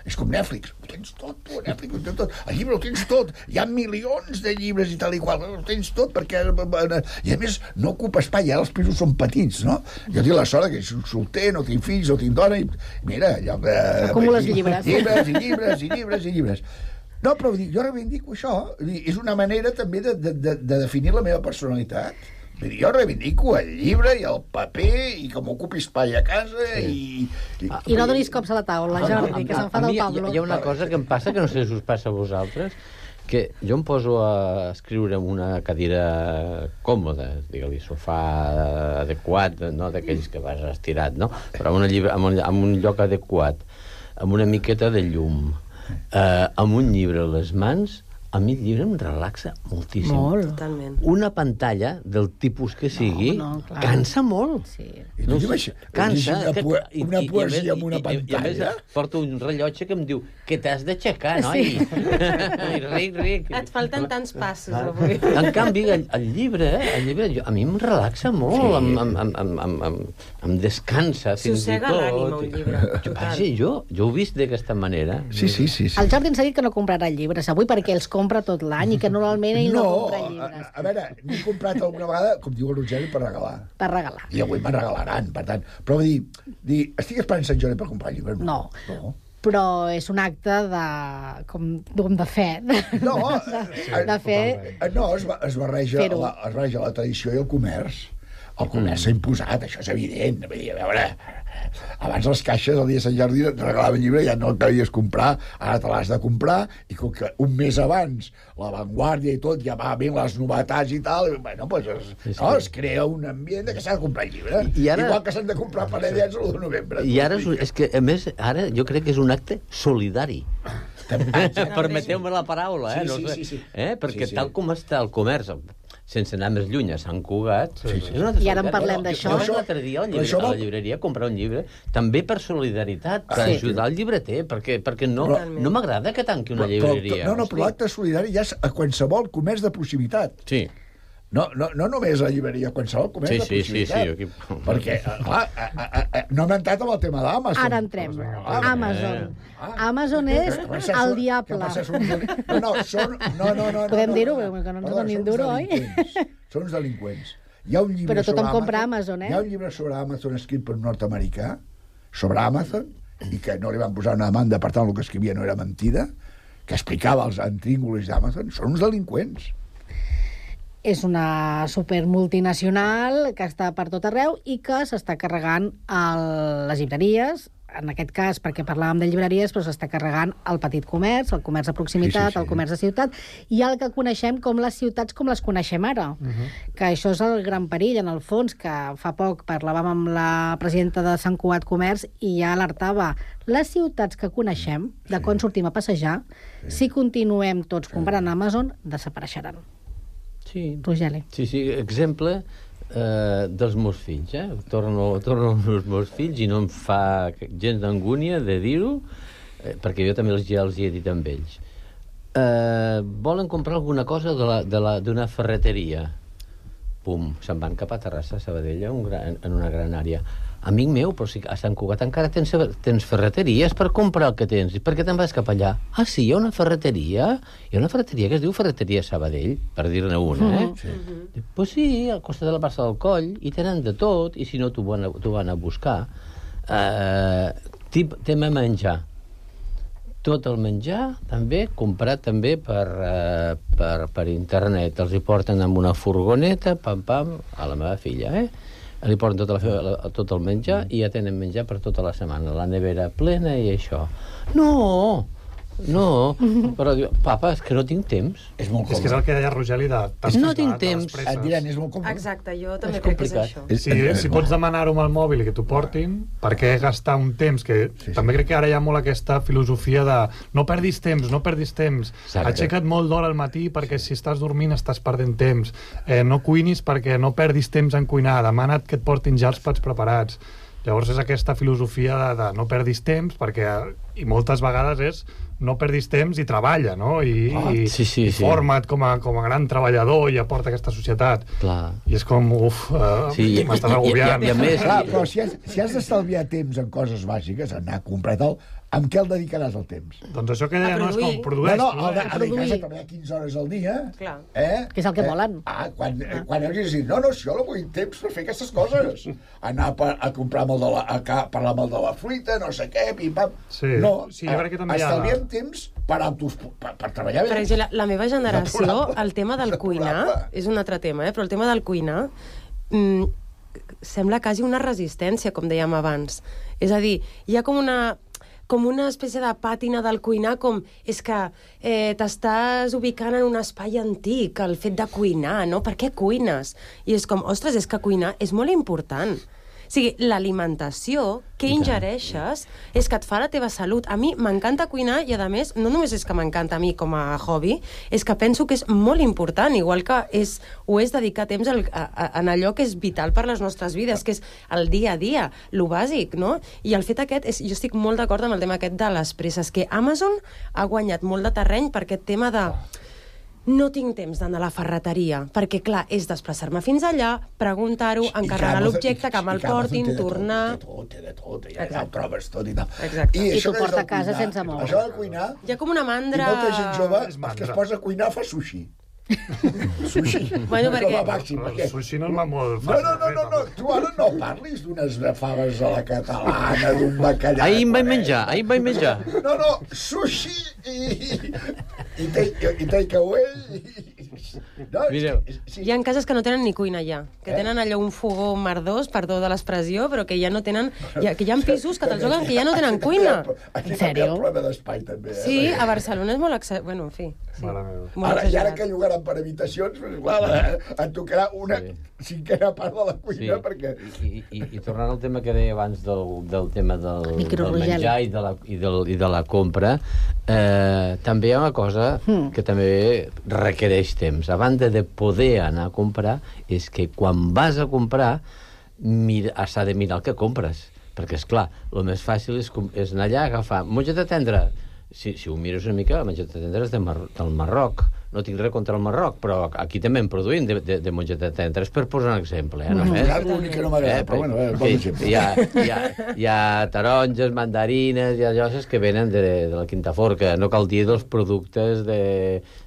És com Netflix, ho tens tot, tu, Netflix, ho tens tot. El llibre ho tens tot. Hi ha milions de llibres i tal i qual, ho tens tot perquè... I a més, no ocupa espai, ara els pisos són petits, no? Jo tinc la sort que soc solter, no tinc fills, no tinc dona, i mira, allò que... Acumules llibres. Llibres. No, però jo reivindico això. És una manera també de definir la meva personalitat. Jo reivindico el llibre i el paper i que m'ocupi espai a casa i no donis cops a la taula, Jordi, que s'enfada el Pablo. Hi ha una cosa que em passa, que no sé si us passa a vosaltres, que jo em poso a escriure en una cadira còmoda, digue-li, sofà adequat, no d'aquells que vas estirat, no? Però en un lloc adequat, amb una miqueta de llum, amb un llibre a les mans, A mi el llibre em relaxa moltíssim. Molt. Totalment. Una pantalla del tipus que sigui cansa molt. Sí. No, cansa. Una poesia amb una pantalla. I a més porto un rellotge que em diu que t'has d'aixecar, noi? Ric. Et falten tants passos avui. En canvi, el llibre a mi em relaxa molt, em descansa fins i tot. Sossega l'ànima, un llibre. Vaja, jo ho he vist d'aquesta manera. Sí. El Jordi ens ha dit que no comprarà llibres avui perquè els compra tot l'any i que normalment ell no compra llibres. A veure, n'he comprat alguna vegada, com diu el Rogeri, per regalar. Per regalar. I avui me'n regalaran, per tant. Però dir, estic esperant Sant Jordi per comprar llibres? No. Però és un acte de fe. No, de fe. No, es barreja la tradició i el comerç. El comerç s'ha imposat, això és evident. Vull dir, a veure, abans les caixes el dia de Sant Jordi et regalaven llibre, ja no el cavies comprar, ara te l'has de comprar, i com que un mes abans la Vanguardia i tot ja va ben les novetats i tal, bueno, pues es crea un ambient que s'ha de comprar llibre. Igual que s'han de comprar panellets l'1 de novembre. I ara, és que, a més, ara jo crec que és un acte solidari. Permeteu-me la paraula, Sí. Perquè tal com està el comerç, sense anar més lluny a Sant Cugat... I ara en parlem d'això. Jo l'altre dia a la llibreria a comprar un llibre, també per solidaritat, per ajudar el llibreter, perquè no m'agrada que tanqui una llibreria. Però l'acte solidari ja és a qualsevol comerç de proximitat. Sí. No només a la llibreria, qualsevol comerç de proximitat. Sí. Perquè, clar, no hem entrat amb el tema d'Amazon. Ara entrem. Amazon. Amazon és el diable. No. Podem dir-ho, que no ens donin duro, oi? Són uns delinqüents. Però tothom compra Amazon, Hi ha un llibre sobre Amazon escrit per un nord-americà, sobre Amazon, i que no li van posar una demanda, per tant el que escrivia no era mentida, que explicava els intríngulis d'Amazon. Són uns delinqüents. És una supermultinacional que està per tot arreu i que s'està carregant les llibreries, en aquest cas, perquè parlàvem de llibreries, però s'està carregant el petit comerç, el comerç de proximitat, el comerç de ciutat, i el que coneixem com les ciutats com les coneixem ara. Que això és el gran perill, en el fons, que fa poc parlàvem amb la presidenta de Sant Cugat Comerç i ja alertava les ciutats que coneixem, de quan sortim a passejar, si continuem tots comprant Amazon, desapareixeran. Sí. Rogeli. Sí, exemple dels meus fills, Torno als meus fills i no em fa gens d'angúnia de dir-ho, perquè jo també ja els hi he dit amb ells. Volen comprar alguna cosa d'una ferreteria. Pum, se'n van cap a Terrassa, Sabadell, en una gran àrea. Amic meu, però si a Sant Cugat encara tens ferreteries per comprar el que tens. I per què te'n vas cap allà? Ah, sí, hi ha una ferreteria? Hi ha una ferreteria que es diu Ferreteria Sabadell, per dir-ne una, Pues sí, al costat de la plaça del Coll, i tenen de tot, i si no t'ho van a buscar. Tema menjar. Tot el menjar, també, comprat també per internet. Els hi porten amb una furgoneta, pam, a la meva filla, li porten tot el menjar i ja tenen menjar per tota la setmana, la nevera plena i això. No, però diu, papa, és que no tinc temps. És molt còmode. És que és el que deia Rogeli de... No tinc temps. Et diran, és molt còmode. Exacte, jo també crec que és això. Si pots demanar-ho amb el mòbil i que t'ho portin, per què gastar un temps? Que també crec que ara hi ha molt aquesta filosofia de no perdis temps. Aixeca't molt d'hora al matí perquè si estàs dormint estàs perdent temps. No cuinis perquè no perdis temps en cuinar. Demana't que et portin ja els plats preparats. Llavors és aquesta filosofia de no perdis temps i moltes vegades és no perdis temps i treballa, no? I forma't com a gran treballador i aporta aquesta societat. I és com, m'estàs agobiant. Però si has d'estalviar temps en coses bàsiques, anar a comprar tal, amb què el dedicaràs el temps? Doncs això que deia, no és com produeix. A dedicar-se a treballar 15 hores al dia. Que és el que volen. Quan hagis dit, no, si jo no vull temps per fer aquestes coses. Anar a comprar parlar amb el de la fruita, no sé què, pim-pam. No, estalviem temps per treballar bé. Per exemple, la meva generació, el tema del cuinar, és un altre tema, però el tema del cuinar sembla quasi una resistència, com dèiem abans. És a dir, hi ha com una espècie de pàtina del cuinar, com és que t'estàs ubicant en un espai antic, el fet de cuinar, no? Per què cuines? I és com, ostres, és que cuinar és molt important. sigui, l'alimentació que ingereixes és que et fa la teva salut. A mi m'encanta cuinar i, a més, no només és que m'encanta a mi com a hobby, és que penso que és molt important, igual que ho és dedicar temps en allò que és vital per les nostres vides, que és el dia a dia, lo bàsic, no? I el fet aquest, jo estic molt d'acord amb el tema aquest de les presses, que Amazon ha guanyat molt de terreny per aquest tema de no tinc temps d'anar a la ferreteria, perquè, clar, és desplaçar-me fins allà, preguntar-ho, encarregar l'objecte, que me'l portin, tornar... Té de tot, ja ho trobes tot i tal. Exacte. I t'ho porta a casa sense moure. Això de cuinar... Hi ha com una mandra... I molta gent jove, que es posa a cuinar, fa sushi. Sushi. Bueno, perquè... El sushi no va molt fàcil. No, tu ara no parlis d'unes faves a la catalana, d'un bacallà... Ahir em vaig menjar. No, sushi i takeaway... Mireu. Hi ha cases que no tenen ni cuina ja, que tenen allò un fogó merdós, perdó de l'expressió, però que ja no tenen... Que hi ha pisos que te'ls juguen que ja no tenen cuina. En sèrio? Aquí problema d'espai, també. Sí, a Barcelona és molt... Bueno, en fi. Ara, i ara que llogaran per habitacions, clar, et tocarà una cinquena part de la cuina, perquè... I tornant al tema que deia abans del tema del menjar i de la compra, també hi ha una cosa que també requereix temps. A banda de poder anar a comprar, és que quan vas a comprar s'ha de mirar el que compres. Perquè, esclar, el més fàcil és anar allà a agafar mongeta tendra. Si ho mires una mica, la mongeta tendra és del Marroc. No tinc res contra el Marroc, però aquí també en produïm de mongeta tendra. És per posar un exemple. L'únic que no m'agrada, però bueno, bon exemple. Hi ha taronges, mandarines, hi ha lloses que venen de la Quinta Forca. No cal dir dels productes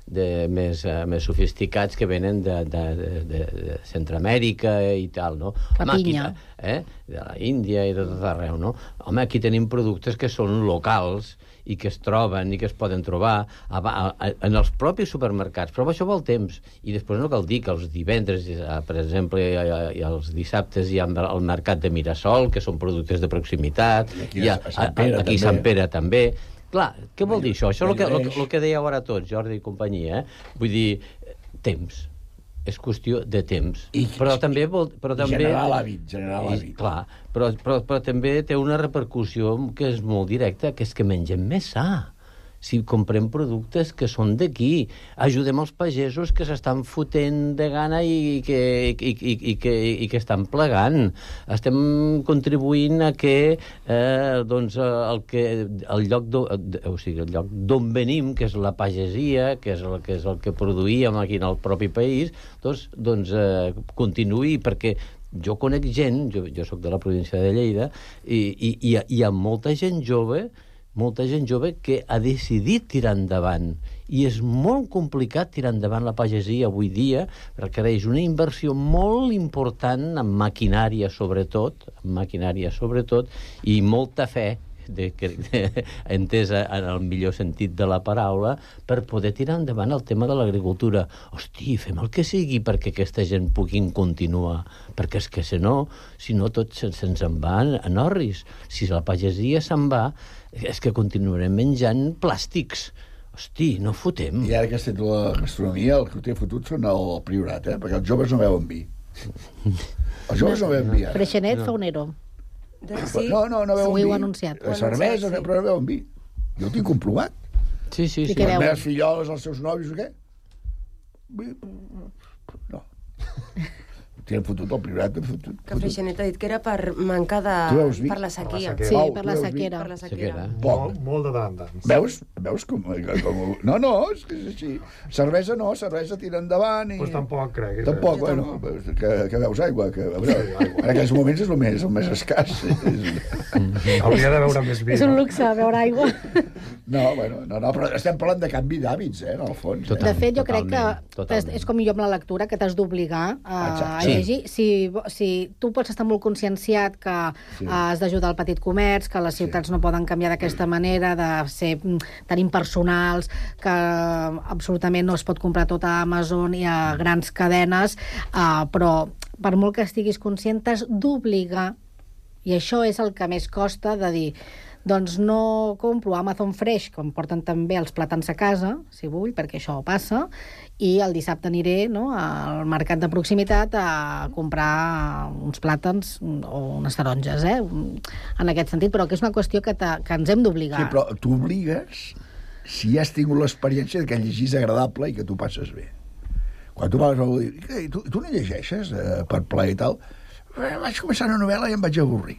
més sofisticats que venen de Centroamèrica i tal, no? La pinya. De la Índia i de tot arreu, no? Home, aquí tenim productes que són locals i que es troben i que es poden trobar en els propis supermercats, però això vol temps. I després no cal dir que els divendres, per exemple, i els dissabtes hi ha el mercat de Mirasol, que són productes de proximitat, aquí a Sant Pere també. Clar, què vol dir això? Això és el que dèieu ara tots, Jordi i companyia. Vull dir, temps. És qüestió de temps. Però també... Generar l'hàbit. Clar, però també té una repercussió que és molt directa, que és que mengem més sa. Si comprem productes que són d'aquí, ajudem els pagesos que s'estan fotent de gana i que estan plegant. Estem contribuint a que el lloc d'on venim, que és la pagesia, que és el que produïem aquí en el propi país, doncs continuï, perquè jo conec gent, jo soc de la província de Lleida, i hi ha molta gent jove que ha decidit tirar endavant. I és molt complicat tirar endavant la pagesia avui dia, requereix una inversió molt important en maquinària, sobretot, i molta fe, entesa en el millor sentit de la paraula, per poder tirar endavant el tema de l'agricultura. Hosti, fem el que sigui perquè aquesta gent puguin continuar, perquè és que si no tot se'ns en va en orris. Si la pagesia se'n va, és que continuarem menjant plàstics. Hosti, no fotem. I ara que has fet la gastronomia, el que té fotut són el Priorat, perquè els joves no beuen vi. Els joves no beuen vi, ara. Freixenet fa un ero. Sí. No beuen vi. Ho heu anunciat. Cervesa, però no beuen vi. Jo ho tinc comprovat. Sí. Les meves filloles, els seus nòvios, o què? No. Tenen fotut el Priorat. Que Freixenet ha dit que era per manca de... per la sequia. Sí, per la sequera. Molt de tant. Veus com... No, és que és així. Cervesa tira endavant i... Doncs tampoc crec. Tampoc, bueno, que veus aigua. En aquells moments és el més escàs. Hauria de beure més vi. És un luxe, beure aigua. No, però estem parlant de canvi d'hàbits, en el fons. De fet, jo crec que és com jo amb la lectura, que t'has d'obligar a llegir. Si tu pots estar molt conscienciat que has d'ajudar el petit comerç, que les ciutats no poden canviar d'aquesta manera, de ser tan impersonals, que absolutament no es pot comprar tot a Amazon i a grans cadenes, però per molt que estiguis conscient t'has d'obligar, i això és el que més costa, de dir Doncs no compro Amazon Fresh, com porten també els plàtans a casa, si vull, perquè això passa, i el dissabte aniré, no, al mercat de proximitat a comprar uns plàtans o unes taronges, en aquest sentit, però que és una qüestió que ens hem d'obligar. Sí, però t'obligues si has tingut l'experiència que llegís agradable i que tu passes bé. Quan tu parles a algú i dius, tu no llegeixes per plaer i tal? Vaig començar una novel·la i em vaig avorrir.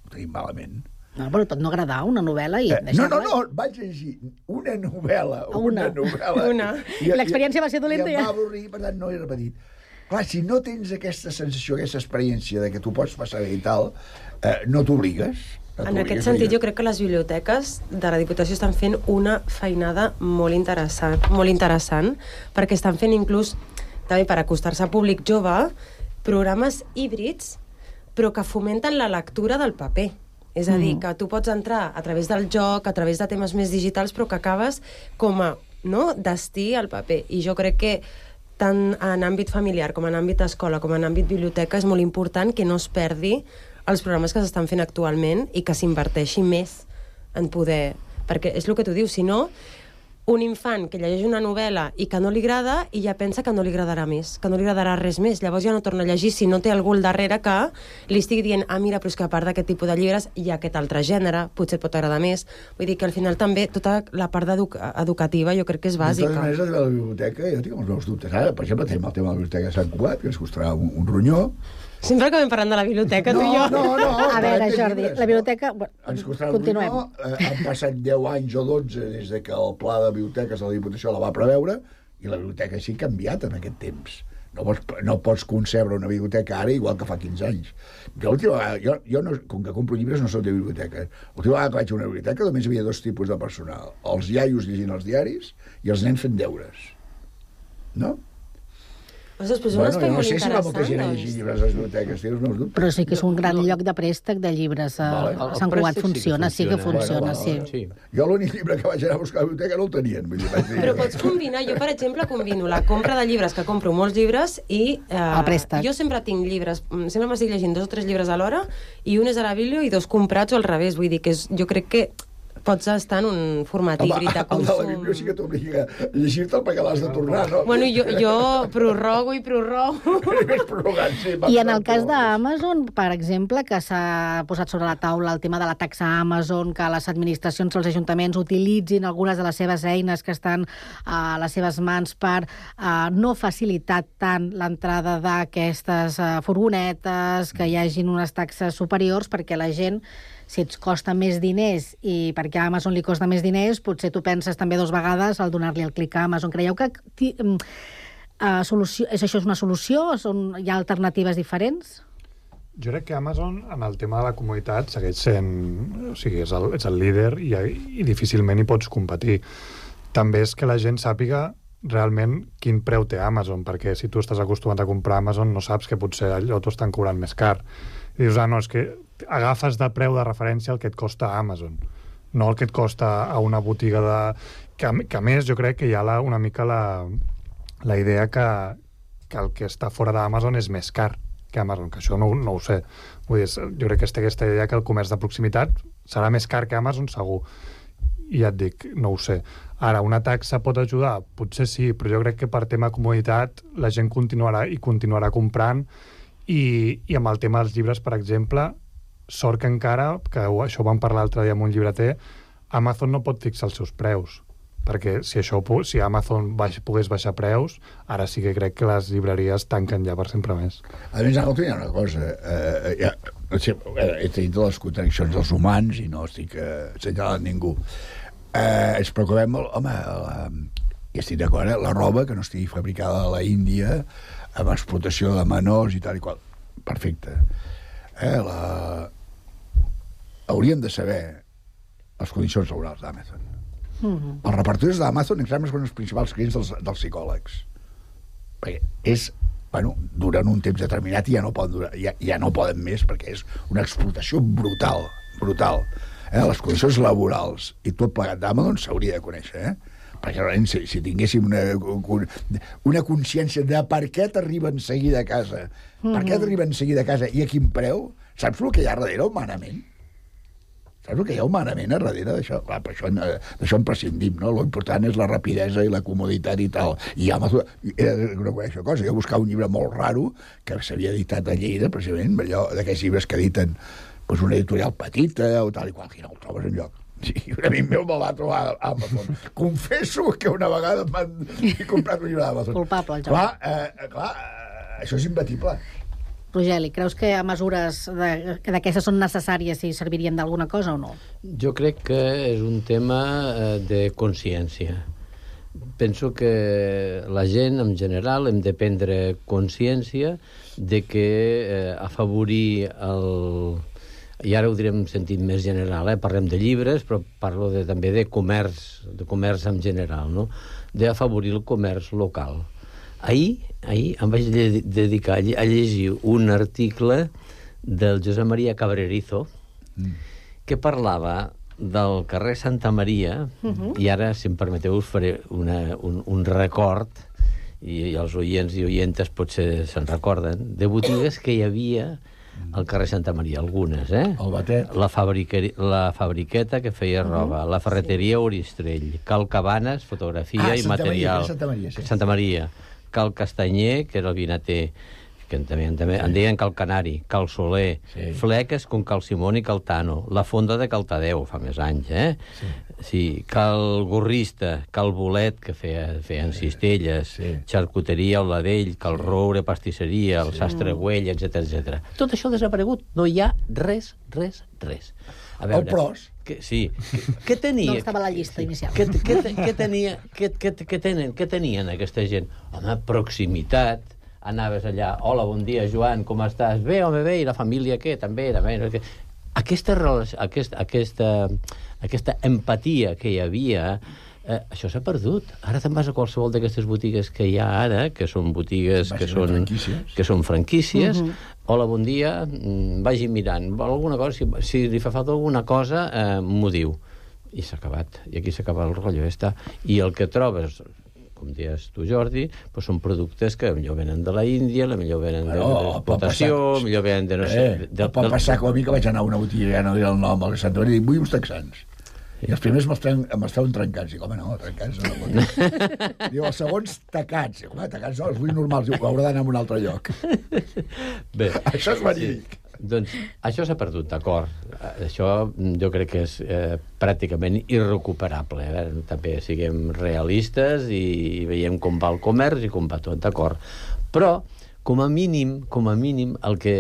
Ho tenim malament. No, però pot no agradar una novel·la i deixar-la... No, vaig llegir una novel·la. Una. I l'experiència va ser dolenta, ja. I em va avorrir, per tant no he repetit. Clar, si no tens aquesta sensació, aquesta experiència de que tu pots passar bé i tal, no t'obligues. En aquest sentit, jo crec que les biblioteques de la Diputació estan fent una feinada molt interessant, perquè estan fent inclús, també per acostar-se a públic jove, programes híbrids, però que fomenten la lectura del paper. És a dir, que tu pots entrar a través del joc, a través de temes més digitals, però que acabes com a destí al paper. I jo crec que tant en àmbit familiar, com en àmbit escola, com en àmbit biblioteca, és molt important que no es perdi els programes que s'estan fent actualment i que s'inverteixi més en poder... Perquè és el que tu dius, si no, un infant que llegeix una novel·la i que no li agrada i ja pensa que no li agradarà més, que no li agradarà res més. Llavors ja no torna a llegir si no té algú al darrere que li estigui dient mira, però és que a part d'aquest tipus de llibres hi ha aquest altre gènere, potser et pot agradar més. Vull dir que al final també tota la part educativa jo crec que és bàsica. De totes maneres, a la biblioteca, jo tinc els meus dubtes. Ara, per exemple, tenim el tema de la biblioteca de Sant Cugat, que ens costarà un ronyó. Sempre acabem parlant de la biblioteca, tu i jo. No. A veure, Jordi, la biblioteca... Ens costarà un ronyó. Han passat 10 anys o 12 des que el pla de biblioteques de la Diputació la va preveure i la biblioteca sí que ha canviat en aquest temps. No pots concebre una biblioteca ara igual que fa 15 anys. Jo, com que compro llibres, no soc de biblioteca. L'última vegada que vaig a una biblioteca només hi havia 2 tipus de personal. Els iaios llegint els diaris i els nens fent deures. No? Ostres, però és un espai molt interessant. No sé si va molta gent a doncs. llegir llibres a les biblioteques, tinc els meus dubtes. Però sí que és un gran lloc de préstec de llibres. A Sant Cugat funciona, sí que funciona, sí. Jo l'únic llibre que vaig anar a buscar a la biblioteca no el tenien. Però pots combinar, jo per exemple combino la compra de llibres, que compro molts llibres, i el préstec. Jo sempre tinc llibres, sempre m'estic llegint 2 o 3 llibres alhora, i un és a la biblio i 2 comprats o al revés, vull dir que jo crec que pots estar en un format híbrid de consum. El de la biblio sí que t'obliga a llegir-te'l perquè l'has de tornar, no? Bueno, jo prorrogo. I en el cas d'Amazon, per exemple, que s'ha posat sobre la taula el tema de la taxa Amazon, que les administracions, els ajuntaments utilitzin algunes de les seves eines que estan a les seves mans per no facilitar tant l'entrada d'aquestes furgonetes, que hi hagin unes taxes superiors, perquè la gent, si et costa més diners i perquè a Amazon li costa més diners, potser tu penses també 2 vegades al donar-li el clic a Amazon. Creieu que això és una solució? Hi ha alternatives diferents? Jo crec que Amazon, en el tema de la comoditat, segueix sent... O sigui, és el líder i difícilment hi pots competir. També és que la gent sàpiga realment quin preu té Amazon, perquè si tu estàs acostumat a comprar Amazon no saps que potser allò t'ho estan cobrant més car. I dius, no, és que agafes de preu de referència el que et costa a Amazon, no el que et costa a una botiga de... Que a més jo crec que hi ha una mica la idea que el que està fora d'Amazon és més car que Amazon, que això no ho sé. Vull dir, jo crec que té aquesta idea que el comerç de proximitat serà més car que Amazon, segur. I ja et dic, no ho sé. Ara, una taxa pot ajudar? Potser sí, però jo crec que per tema comoditat la gent continuarà comprant i amb el tema dels llibres, per exemple, sort que encara, que això ho vam parlar l'altre dia amb un llibreter, Amazon no pot fixar els seus preus, perquè si Amazon pogués baixar preus, ara sí que crec que les llibreries tanquen ja per sempre més. A més, hi ha una cosa, he dit les contradiccions dels humans i no estic assenyalant ningú. Ens preocupem molt, i estic d'acord, la roba que no estigui fabricada a la Índia, amb explotació de menors i tal i qual. Perfecte. Hauríem de saber les condicions laborals d'Amazon. Els repartidors d'Amazon són els principals clients dels psicòlegs. Perquè duren un temps determinat i ja no poden durar, ja no poden més, perquè és una explotació brutal. Les condicions laborals i tot plegat d'Amazon s'hauria de conèixer, perquè realment si tinguéssim una consciència de per què t'arriben seguida a casa, per què t'arriben seguida a casa i a quin preu, saps el que hi ha darrere humanament? Saps el que hi ha humanament a darrere d'això? Clar, per això d'això en prescindim, no? Lo important és la rapidesa i la comoditat i tal. I Amazon, he de reconèixer una cosa, jo buscava un llibre molt raro que s'havia editat a Lleida, precisament, allò d'aquests llibres que editen pues, una editorial petita o tal i qual, que no el trobes enlloc. Sí, un amic meu me'l va trobar a Amazon. Confesso que una vegada he comprat un llibre d'Amazon. Culpable, el Jordi. Clar, això és imbatible. Rogeli, creus que mesures d'aquestes són necessàries i servirien d'alguna cosa o no? Jo crec que és un tema de consciència. Penso que la gent, en general, hem de prendre consciència de que afavorir el... I ara ho direm en sentit més general, parlem de llibres, però parlo també de comerç en general, no? D'afavorir el comerç local. Ahir em vaig dedicar a llegir un article del Josep Maria Cabrerizo que parlava del carrer Santa Maria, i ara, si em permeteu, us faré un record, i els oients i oientes potser se'n recorden, de botigues que hi havia al carrer Santa Maria, algunes, El Batet. La Fabriqueta, que feia roba, la Ferreteria Oristrell, Cal Cabanes, fotografia i material. Santa Maria. Cal Castanyer, que era el vinater, que també en deien Cal Canari, Cal Soler, Fleques con Cal Simón i Cal Tano, la Fonda de Cal Tadeu, fa més anys, Sí, Cal Gorrista, Cal Bolet, que feien cistelles, Xarcuteria, el Ladell, Cal Roure, pastisseria, el Sastre Güell, etc. Tot això ha desaparegut. No hi ha res. A veure, el pros. Sí. Què tenia? No estava a la llista inicial. Què tenien aquesta gent? Home, proximitat. Anaves allà, hola, bon dia, Joan, com estàs? Bé, home, bé, i la família què? També. Aquesta empatia que hi havia, això s'ha perdut. Ara te'n vas a qualsevol d'aquestes botigues que hi ha ara, que són botigues que són franquícies. Hola, bon dia, vagi mirant. Alguna cosa, si li fa falta alguna cosa, m'ho diu. I s'ha acabat. I aquí s'acaba el rotllo. I el que trobes, com deies tu, Jordi, són productes que millor venen de la Índia, millor venen d'exportació, millor venen de no sé... Pot passar com a mi que vaig anar a una botiga, ja no diré el nom, a Sant Maria, i vull uns texans. I els primers m'estaven trencats. Dic, home, no, trencats no. Diu, els segons tacats. Dic, home, tacats no, els vull normals. Diu, haurà d'anar a un altre lloc. Bé. Això és verídic. Doncs això s'ha perdut, d'acord. Això jo crec que és pràcticament irrecuperable. També siguem realistes i veiem com va el comerç i com va tot, d'acord. Però, com a mínim, el que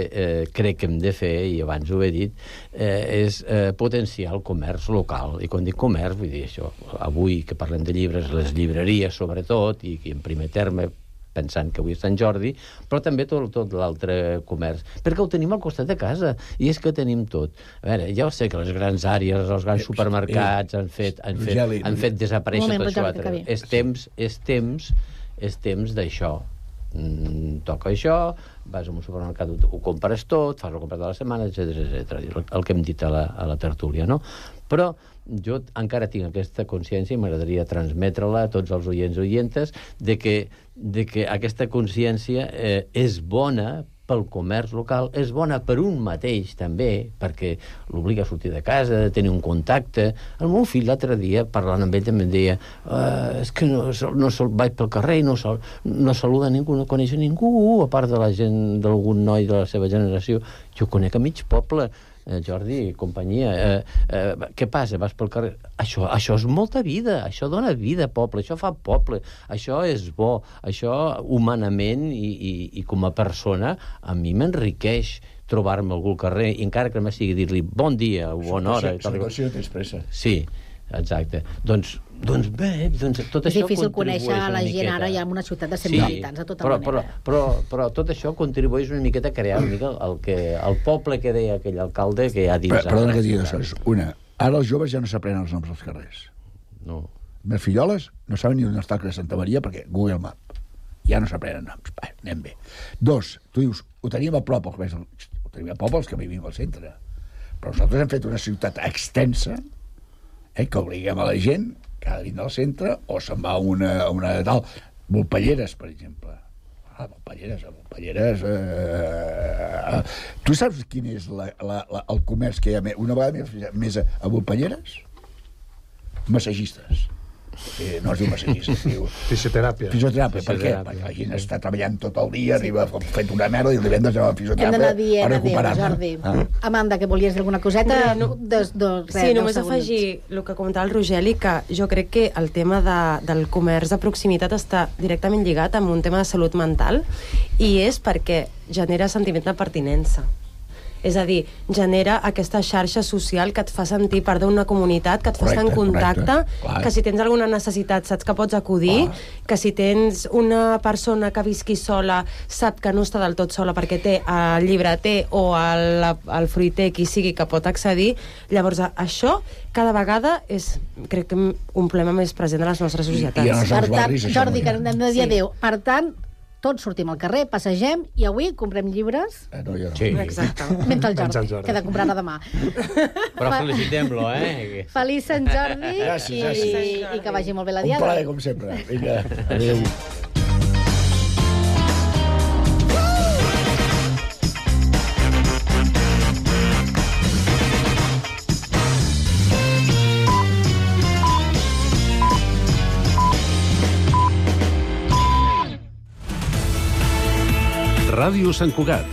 crec que hem de fer, i abans ho he dit, és potenciar el comerç local. I quan dic comerç, vull dir això, avui que parlem de llibres, les llibreries sobretot, i en primer terme, pensant que avui és Sant Jordi, però també tot l'altre comerç. Perquè ho tenim al costat de casa, i és que tenim tot. A veure, ja ho sé que les grans àrees, els grans supermercats han fet desaparèixer tot això. És temps d'això. Toca això, vas a un supermercat, ho compres tot, fas la compra de la setmana, etc. El que hem dit a la tertúlia, no? Però jo encara tinc aquesta consciència i m'agradaria transmetre-la a tots els oients i oientes de que aquesta consciència és bona pel comerç local, és bona per un mateix també, perquè l'obliga a sortir de casa, de tenir un contacte. El meu fill l'altre dia, parlant amb ell, també em deia és que no vaig pel carrer i no saluda ningú, no coneix ningú, a part de la gent, d'algun noi de la seva generació. Jo conec a mig poble, Jordi, companyia. Què passa? Vas pel carrer? Això és molta vida, això dona vida a poble, això fa poble, això és bo, això humanament i com a persona a mi m'enriqueix trobar-me a algú al carrer, i encara que me sigui dir-li bon dia o bona hora. Situació tens pressa. Sí, exacte. Doncs bé, tot això és difícil conèixer la gent ara ja en una ciutat de 100.000 habitants, de tota manera. Però tot això contribueix una miqueta a crear el poble que deia aquell alcalde que hi ha dins. Perdona que digui dues coses. Una, ara els joves ja no s'aprenen els noms dels carrers. No. Mes filloles no saben ni on està el carrer Santa Maria perquè Google Map. Ja no s'aprenen noms. Anem bé. Dos, tu dius, ho teníem a prop, els que vivim al centre. Però nosaltres hem fet una ciutat extensa que obliguem a la gent que ha de vindre al centre o se'n va a una tal. Volpelleres, per exemple. Volpelleres Tu saps quin és el comerç que hi ha una vegada més a Volpelleres? Massagistes. No es diu massatgista, es diu... Fisioteràpia. Fisioteràpia, per què? Perquè la gent està treballant tot el dia, arriba fet una merda i el divendres anava a fisioteràpia. Hem d'anar dient adéu, Jordi. Amanda, que volies dir alguna coseta? Sí, només afegir el que comentava el Rogeli, que jo crec que el tema del comerç de proximitat està directament lligat amb un tema de salut mental, i és perquè genera sentiment de pertinença. És a dir, genera aquesta xarxa social que et fa sentir part d'una comunitat, que et fa estar en contacte, que si tens alguna necessitat saps que pots acudir, que si tens una persona que visqui sola sap que no està del tot sola perquè té el llibreter o el fruiter, qui sigui, que pot accedir. Llavors, això cada vegada és, crec que, un problema més present a les nostres societats. Per tant, Jordi, que hem de dir adéu. Per tant, tots sortim al carrer, passegem, i avui comprem llibres. No, jo no. Sí. Exacte. Mentre el Jordi, que ha de comprar-ne demà. Però felicitem-lo, eh? Feliç Sant Jordi. Gràcies. I que vagi molt bé la diada. Un plaer, com sempre. Vinga, adéu. Ràdio Sant Cugat,